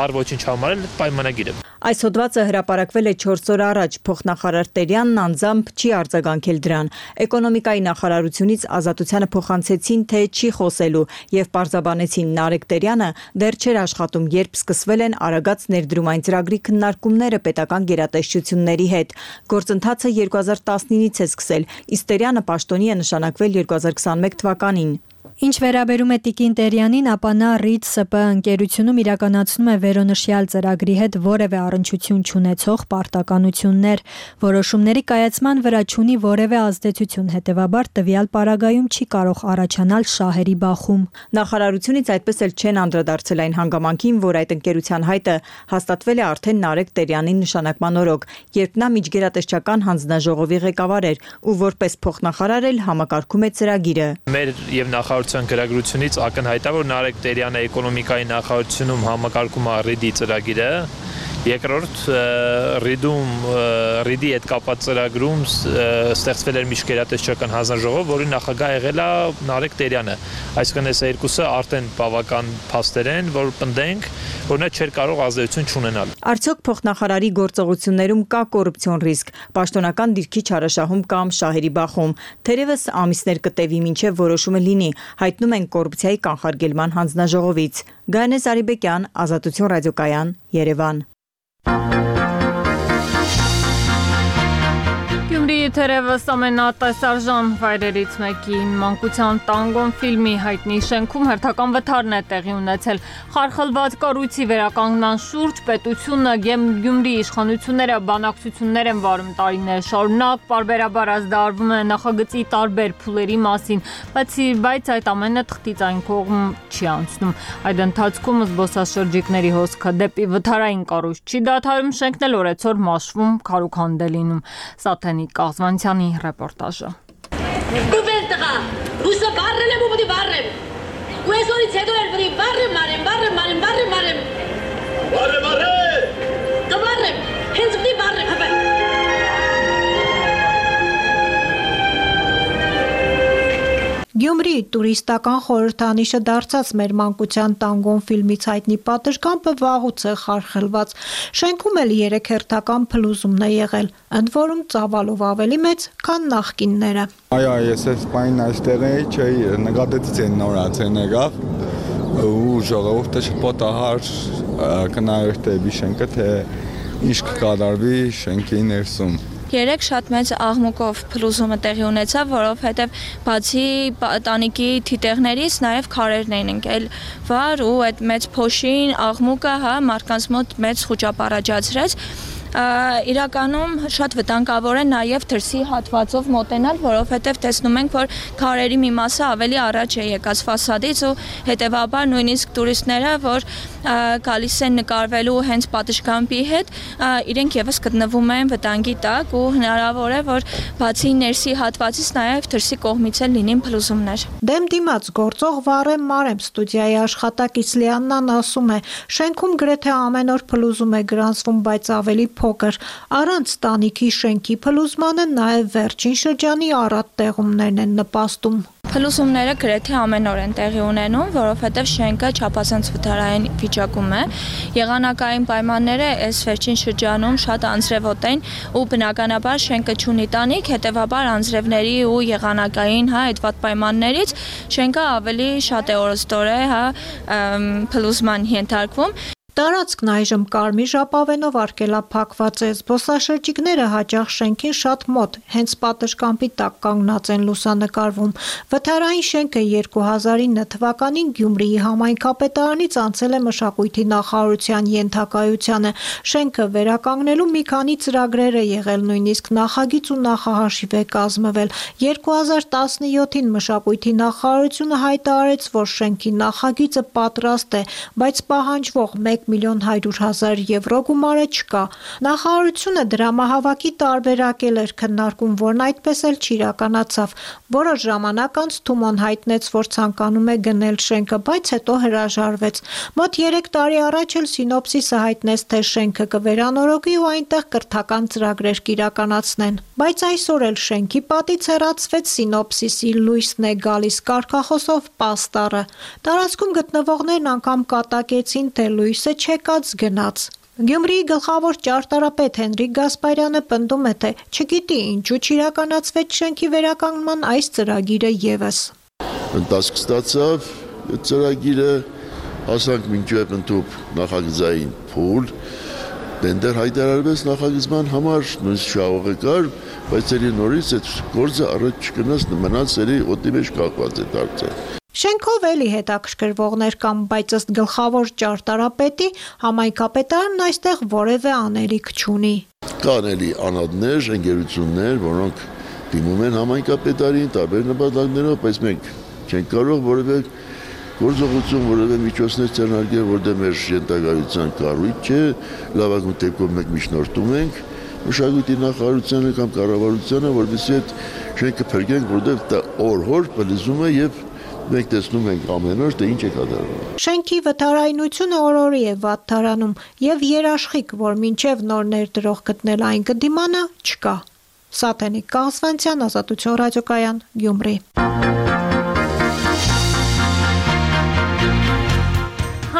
առ ոչինչ համարել պայմանագիրը։ Այս հոդվածը հրապարակվել է չորս օր առաջ, փոխնախարար Տերյանն անձամբ չի արձագանքել դրան։ Էկոնոմիկայի նախարարությունից ազատությանը փոխանցեցին, թե չի խոսելու եւ պարզաբանեցին Նարեկ Տերյանը դեռ չէր աշխատում, երբ սկսվել են Արագած ներդրումային ծրագրի քննարկումները պետական գերատեսչությունների հետ։ Գործընթացը երկու հազար տասնինից է սկսել, իսկ Տերյանը պաշտոնի է նշանակվել երկու հազար քսանմեկ թվականին։ Ինչ վերաբերում է Տիկին Տերյանին, ապա նա Ռիդ Ս Պ ընկերությունում իրականացնում է վերոնշյալ ծրագրի հետ որևէ առնչություն չունեցող պարտականություններ, որոշումների կայացման վրա չունի որևէ ազդեցություն, հետևաբար տվյալ պարագայում չի կարող առաջանալ շահերի բախում։ Նախարարությունից այդպես էլ չեն անդրադարձել այն հանգամանքին, որ այդ ընկերության հայտը հաստատվել է արդեն Նարեկ Տերյանի նշանակման օրոք, երբ նա միջգերատեսչական հանձնաժողովի ղեկավար էր ու որպես փոխնախարար էլ համակարգում է ծրագիրը։ Մեր եւ նախարարության գրագրությունից ակնհայտ է, որ Նարեկ Տերյանը էկոնոմիկայի նախարարությունում համակարգում է Ռիդի ծրագիրը, երկրորդ Ռիդում Ռիդի հետ կապված ծրագրում ստեղծվել էր միջգերատեսչական հանձնաժողով, որի նախագահ եղել է Նարեկ Տերյանը։ Այսինքն այս երկուսը արդեն բավական փաստեր են, որ պնդենք, որ նա չէր կարող ազդեցություն չունենալ։ Արդյոք փոխնախարարի գործողություններում կա կոռուպցիոն ռիսկ, պաշտոնական դիրքի չարաշահում կամ շահերի բախում։ Թերևս ամիսներ կտևի մինչև որոշումը լինի, հայտնում են կոռուպցիայի կանխարգելման հանձնաժողովից։ Գայանե Սարիբեկյան, Ազատություն ռադիոկայան, Երևան։ Գյումրիի Թերևս ամենատեսարժան վայրերից մեկի մանկության տանգոն ֆիլմի հայտնի շենքում հերթական վթարն է տեղի ունեցել։ Խարխլված կառույցի վերականգնման շուրջ պետությունը և Գյումրի իշխանությունները բանակցություններ են վարում տարիներ շարունակ, պարբերաբար ազդարվում է նախագծի տարբեր փուլերի մասին, բայց այդ ամենը թղթից այն կողմ չի անցնում։ Այդ ընթացքում զբոսաշրջիկների հոսքը դեպի վթարային կառույց չի դադարում, շենքն էլ օրեցօր մաշվում, քարուքանդ է լինում։ Սաթենիկ Կազվանցյանի ռեպորտաժը։ Կուպել տղա, ռուսը բարրել եմ ու պտի բարրեմ։ Ու այսօրից հետո էլ պտի բարրեմ, մարեմ, բարրեմ, մարեմ, բարրեմ, մարեմ։ Բարրեմ, բարրեմ։ Կբարրեմ, հենց պտի բարրեմ, հպե։ Գյումրի տուրիստական խորհրդանիշը դարձած մեր մանկության տանգոն ֆիլմից հայտնի պատշգամբը վաղուց է խարխլված։ Շենքում էլ երեք հերթական փլուզումն է եղել, ընդ որում ծավալով ավելի մեծ, քան նախկինները։ Այո, ես այս պայն այստեղ էի, չէի, նկատեցի այն նորացեն եղավ, ու ժողովուրդը շփոթահար կնայող դեպի շենքը, թե ինչ կկատարվի շենքի ներսում։ Երեք շատ մեծ աղմուկով փլուզումը տեղի ունեցավ, որովհետև բացի տանիքի թիթեղներից նաև քարերն էին ընկել վար ու այդ մեծ փոշին աղմուկը հա մարդկանց մոտ մեծ խուճապ առաջացրեց։ Իրականում շատ վտանգավոր է նաև դրսի հատվածով մոտենալ, որովհետև տեսնում ենք, որ քարերի մի մասը ավելի առաջ է եկած ֆասադից ու հետևաբար նույնիսկ տուրիստները, որ գալիս են նկարվելու հենց պատշգամբի հետ, իրենք եւս գտնվում են վտանգի տակ ու հնարավոր է, որ բացի ներսի հատվածից նաև դրսի կողմից էլ լինին փլուզումներ։ Դեմ դիմաց գործող Վարեմ Մարեմ ստուդիայի աշխատակից Լիաննան ասում է, շենքում գրեթե ամեն օր փլուզում է գրանցվում, բայց ավելի փոքր, առանց տանիքի շենքի փլուզմանը նաև վերջին շրջանի առատ տեղումներն են նպաստում։ Փլուզումները գրեթե ամեն օր են տեղի ունենում, որովհետև շենքը չափազանց վթարային վիճակում է։ Եղանակային պայմանները այս վերջին շրջանում շատ անձրևոտ են ու բնականաբար շենքը չունի տանիք, հետևաբար անձրևների ու եղանակային հա այդ վատ պայմաններից շենքը ավելի շատ է օրստորե հա փլուզման ենթարկվում։ Տարածքն այժմ կարմիր ժապավենով արգելափակված է, զբոսաշրջիկները հաճախ շենքին շատ մոտ, հենց պատշգամբի տակ կանգնած են լուսանկարվում։ Վթարային շենքը երկու հազար ինը թվականին Գյումրիի համայնքապետարանից անցել է մշակույթի նախարարության ենթակայությանը։ Շենքը վերականգնելու մի քանի ծրագրեր է եղել, նույնիսկ նախագիծ ու նախահաշիվ է կազմվել։ երկու հազար տասնյոթին մշակույթի նախարարությունը հայտարարեց, որ շենքի նախագիծը պատրաստ է, բայց պահանջվող մեկ միլիոն հարյուր հազար եվրո գումարը չկա։ Նախարարությունը դրամահավաքի տարբերակել էր քննարկում, որն այդպես էլ չիրականացավ։ Որոշ ժամանակ անց Թումոն հայտնեց, որ ցանկանում է գնել շենքը, բայց հետո հրաժարվեց։ Մոտ երեք տարի առաջ էլ Սինոպսիսը հայտնեց, թե շենքը կվերանորոգի ու այնտեղ կրթական ծրագրեր կիրականացնեն։ Բայց այսօր էլ շենքի պատից հեռացվեց Սինոպսիսի լույսն է գալիս կարգախոսով պաստառը։ Տարածքում գտնվողներն անգամ կատակեցին, թե լույսը չեկած գնաց։ Գյումրիի գլխավոր ճարտարապետ Հենրիկ Գասպարյանը պնդում է, թե չգիտի ինչու չիրականացվեց շենքի վերականգնման այս ծրագիրը եւս։ Ընթացք ստացավ ծրագիրը, ասանք մինչև ընդཐུպ նախագծային փուլ, տենդեր հայտարարվեց նախագծման համար, նույնիսկ շահողը կար, բայց ելի նորից այդ գործը առաջ չգնաց, մնաց ելի օդի մեջ կախված է դարձել։ Շենքով էլի հետաքրքրվողներ կան, բայց ըստ գլխավոր ճարտարապետի համայնքապետարանն այստեղ որևէ անելիք չունի։ Կան էլի անհատներ, ընկերություններ, որոնք դիմում են համայնքապետարին տարբեր նպատակներով, բայց մենք չենք կարող որևէ գործողություն, որևէ միջոցներ ձեռնարկել, որտեղ մեր ենթակայության կառույց չէ, լավագույն դեպքում մենք միջնորդում ենք մշակույթի նախարարությանը կամ կառավարությանը, որովհետեւ այդ շենքը փրկենք, որտեղ դա օր-օր փլուզում է եւ մենք տեսնում ենք ամեն օր, թե ինչ է կատարվում։ Շենքի վթարայնությունը օր-օրի է վատթարանում եւ երաշխիք, որ մինչեւ նոր ներդրող գտնել այն կդիմանը, չկա։ Սաթենիկ Կազվանցյան, Ազատություն ռադիոկայան, Գյումրի։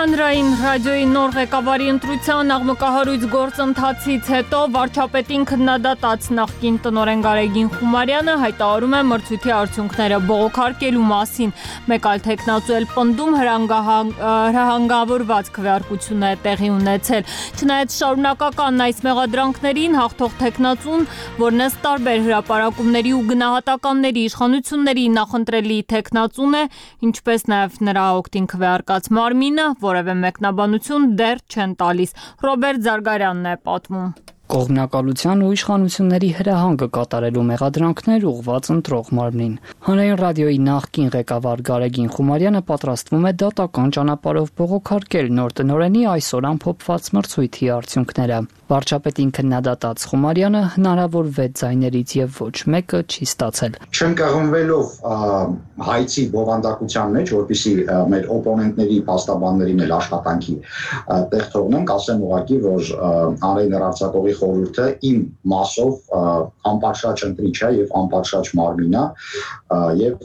Հանրային ռադիոյի նոր ղեկավարի ընտրության աղմկահարույց գործընթացից հետո վարչապետին քննադատած նախկին տնօրեն Գարեգին Խումարյանը հայտարարում է մրցույթի արդյունքները բողոքարկելու մասին։ Մեկ այլ թեկնածու էլ պնդում հրահանգավորված քվեարկություն է տեղի ունեցել։ Չնայած շարունակական այս մեղադրանքներին հաղթող թեկնածուն, որն ըստ տարբեր հրապարակումների ու գնահատականների իշխանությունների նախընտրելի թեկնածուն է, ինչպես նաև նրա օգտին քվեարկած մարմինը որևէ մեկնաբանություն դեռ չեն տալիս։ Ռոբերտ Զարգարյանն է պատմում։ Կողմնակալության ու իշխանությունների հրահանգը կատարելու մեղադրանքներ ուղղված ընտրող մարմնին։ Հանրային ռադիոյի նախկին ղեկավար Գարեգին Խումարյանը պատրաստվում է դատական ճանապարհով բողոքարկել նոր տնօրենի այսօր ամփոփված մրցույթի արդյունքները։ Վարչապետին քննադատած Խումարյանը հնարավոր վեց ձայներից եւ ոչ մեկը չի ստացել։ Չընկղմվելով հայցի բովանդակության մեջ, որպեսզի մեր օպոնենտների, փաստաբաններին էլ աշխատանքի տեղ թողնենք, ասեմ ուղղակի, որ հանրային հեռարձակողի խորհուրդը իմ մասով անպաշարժ ընտրիչ է եւ անպաշարժ մարմին է եւ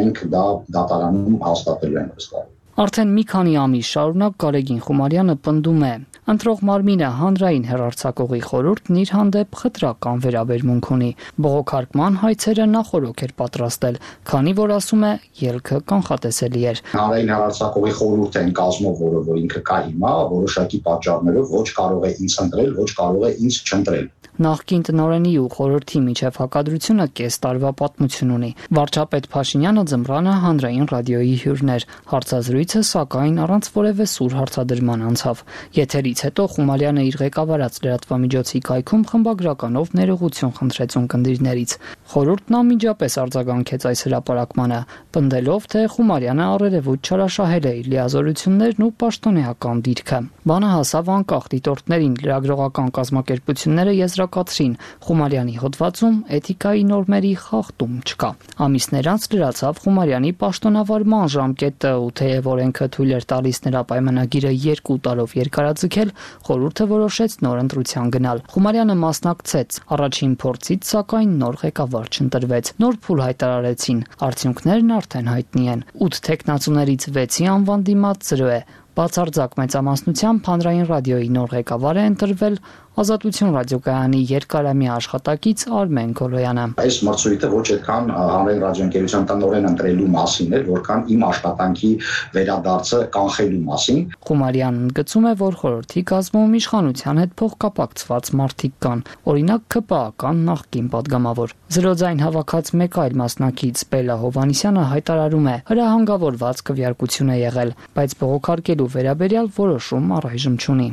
մենք դա դատարանում հաստատելու ենք վստահ։ Արդեն մի քանի ամիս շարունակ Գարեգին Խումարյանը պնդում է. ընտրող մարմինը հանրային հեռարձակողի խորհուրդն իր հանդեպ խտրական վերաբերմունք ունի։ Բողոքարկման հայցերը նախորոք էր պատրաստել, քանի որ ասում է ելքը կանխատեսելի էր։ Հանրային հեռարձակողի խորհուրդը այն կազմով, որը որ ինքը կա հիմա, որոշակի պատճառներով ոչ կարող է ինձ ընտրել, ոչ կարող է ինձ չընտրել։ Նախկին տնօրենի ու խորհրդի միջև հակադրությունը կես տարվա պատմություն ունի։ Վարչապետ Փաշինյանը ձմռանը հանրային ռադիոյի հյուրն էր։ Հարցազրույցը սակայն առանց որևէ սուր հարցադրման անցավ։ Եթերից հետո Խումարյանը իր ղեկավարած լրատվամիջոցի կայքում խմբագրականով ներողություն խնդրեց ունկնդիրներից։ Խորհուրդն անմիջապես արձագանքեց այս հրապարակմանը, պնդելով, թե Խումարյանը առերևույթ չարաշահել է իր լիազորություններն ու պաշտոնեական դիրքը։ Բանը հասավ անկախ դիտորդներին, լրագրողական կազմակերպությունները եզրակացրին Խումարյանի հոդվածում էթիկայի նորմերի խախտում չկա։ Ամիսներ անց լրացավ Խումարյանի պաշտոնավարման ժամկետը ու թեև օրենքը թույլ էր տալիս նրա պայմանագիրը երկու տարով երկարաձգել, խորհուրդը որոշեց նոր ընտրության գնալ։ Խումարյանը մասնակցեց առաջին փորձից, սակայն նոր ղեկավար չընտրվեց։ Նոր փուլ հայտարարեցին։ Արդյունքներն արդեն հայտնի են։ ութ թեկնածուներից վեցի անվան դիմաց զրո է։ Բացարձակ մեծամասնությամբ հանրային ռադիոյի նոր ղեկավար է ընտրվել Ազատություն ռադիոկայանի երկարամյա աշխատակից Արմեն Գոլոյանը։ Այս մրցույթը ոչ այդքան հանրային ռադիոընկերության տնօրեն ընտրելու մասին էր, որքան իմ աշխատանքի վերադարձը կանխելու մասին։ Խումարյանն ընդգծում է, որ խորհրդի կազմում իշխանության հետ փոխկապակցված մարդիկ կան, օրինակ ԿՊԱ-ական նախկին падգամավոր։ Զրոձայն հավաքած մեկ այլ մասնակից Բելա Հովանիսյանը հայտարարում է, հրահանգավորված քվեարկություն է եղել, բայց բողոքարկելու վերաբերյալ որոշում առայժմ չունի։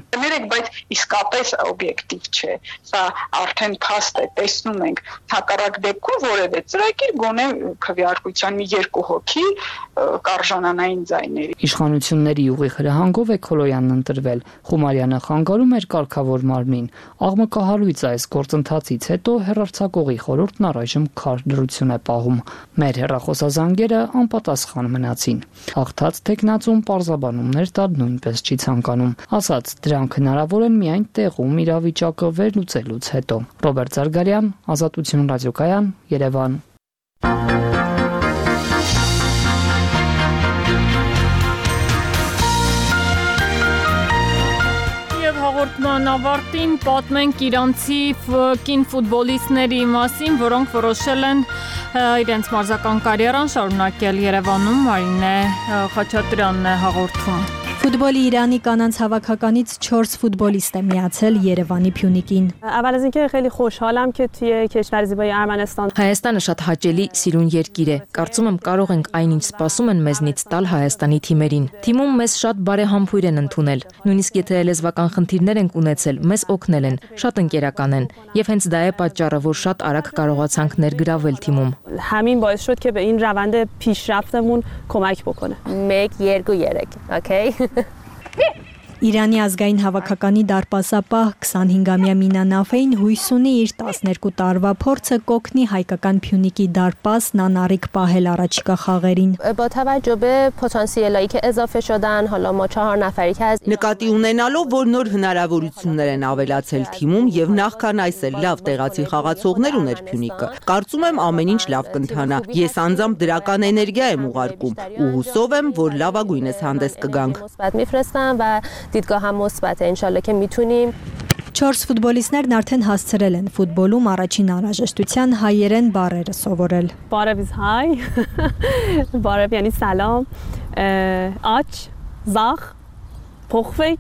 Բայց իսկապես օբյեկտիվ չէ։ Սա արդեն փաստ է, տեսնում ենք հակառակ դեպքում որևէ ծրագիր գոնե քվեարկության մի երկու հոգի կարժանանային ձայների։ Իշխանությունների ուղիղ հրահանգով է Քոլոյանն ընտրվել։ Խումարյանը խանգարում էր կարգավոր մարմնին։ Աղմկահարույց այս գործընթացից հետո հեռարձակողի խորհուրդն առայժմ քար դրություն է պահում։ Մեր հեռախոսազանգերը անպատասխան մնացին։ Հաղթած թեկնածուն պարզաբանումներ տալ նույնպես չի ցանկանում։ Ասաց, դրանք հնարավոր են միայն տեղում իրավիճակը վերլուծելուց հետո։ Ռոբերտ Զարգարյան, Ազատություն ռադիոկայան, Երևան։ Հաղորդման ավարտին պատմենք իրանցի կին ֆուտբոլիստների մասին, որոնք որոշել են իրենց մարզական կարիերան շարունակել Երևանում։ Մարինե Խաչատրյանն է հաղորդում։ Ֆուտբոլի Իրանի կանանց հավաքականից չորս ֆուտբոլիստ է միացել Երևանի Փյունիկին։ اول از اینکه خیلی خوشحالم که توی کشور زیبای ارمنستان Հայաստանը շատ հաճելի, սիրուն երկիր է։ Կարծում եմ կարող ենք այնինչ սպասում են մեզնից տալ Հայաստանի թիմերին։ Թիմում մեզ շատ բարեհամբույր են ընդունել։ Նույնիսկ եթե լեզվական խնդիրներ ենք ունեցել, մեզ օգնել են, շատ ընկերական են, եւ հենց դա է պատճառը, որ շատ արագ կարողացանք ներգրավել թիմում։ همین باعث شد که به این روند پیشرفتمون کمک بکنه. یک, երկու, երեք, okay? Իրանի ազգային հավաքականի դարպասապահ twenty-five-ամյա Մինա Նաֆեին հույս ունի իր twelve տարվա փորձը կօգնի հայկական Փյունիկի դարպասն անառիկ պահել առաջիկա խաղերին։ با توجه به پتانسیلایی که اضافه شدن حالا ما چهار نفری که از Նկատի ունենալով, որ նոր հնարավորություններ են ավելացել թիմում եւ նախքան այս էլ լավ տեղացի խաղացողներ ուներ Փյունիկը, կարծում եմ ամեն ինչ լավ կընթանա։ Ես անձամբ դրական էներգիա եմ ուղարկում ու հուսով եմ, որ լավագույնս հանդես կգանք։ مثبت میفرستم و دیدگاه هم مثبته ان شاء الله که میتونیم Չորս ֆուտբոլիստներն արդեն հասցրել են ֆուտբոլում առաջին անհրաժեշտության հայերեն բառերը սովորել։ بارب is hi بارب یعنی سلام آچ زاخ پخفک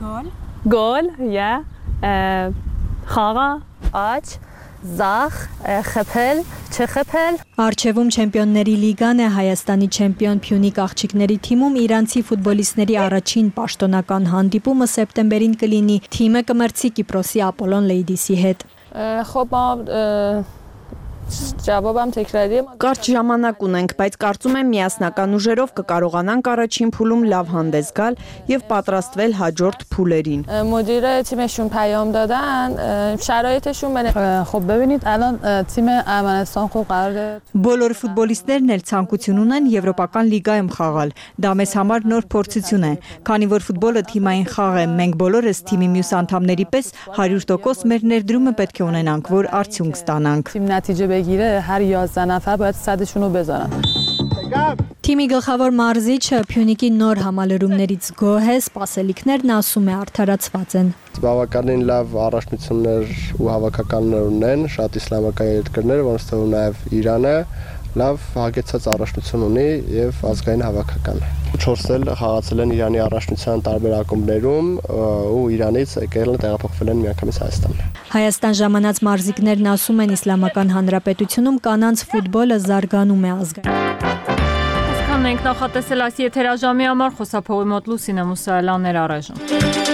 گل گل یا خاغا آچ زاخ خپل چه خپل Արչևում Չեմպիոնների լիգան է Հայաստանի չեմպիոն Փյունիկ աղջիկների թիմում իրանցի ֆուտբոլիստների առաջին պաշտոնական հանդիպումը սեպտեմբերին կլինի։ Թիմը կմրցի Կիպրոսի Ապոլոն Լեյդիսի հետ։ خب ما جوابم تکراریه Կարճ ժամանակ ունենք, բայց կարծում եմ միասնական ուժերով կկարողանանք առաջին փուլում լավ հանդես գալ եւ պատրաստվել հաջորդ փուլերին։ مدیر تیمشون پیام دادن شرایطشون بنه خب ببینید الان تیم ارمنستان خب قراره Բոլոր ֆուտբոլիստներն էլ ցանկություն ունեն եվրոպական լիգայում խաղալ։ Դա մեզ համար նոր փորձություն է, քանի որ ֆուտբոլը թիմային խաղ է։ Մենք բոլորս թիմի մյուս անդամների պես one hundred percent մեր ներդրումը պետք է ունենանք, որ արդյունք ստանանք։ تیم نتیجه بگیره هر یازده نفر باید صدشون رو بذارن Թիմի գլխավոր մարզիչը Փյունիկի նոր համալրումներից գոհ է, սպասելիքներն ասում է արդարացված են։ Բավականին լավ առաջնություններ ու հավաքականներ ունեն, շատ իսլամական երկրներ, որոնց թվում նաև Իրանը լավ հագեցած առաջնություն ունի եւ ազգային հավաքական։ Չորս էլ խաղացել են Իրանի առաջնության տարբեր ակումբներում ու Իրանից եկել են տեղափոխվել են միանգամից Հայաստան։ Հայաստան ժամանած մարզիկներն ասում են Իսլամական Հանրապետությունում կանանց ֆուտբոլը զարգանում է ազգային։ Այսքանն ենք նախատեսել այս եթերաժամի համար, խոսափողի մոտ Լուսինե Մուսայելյաններ առայժմ։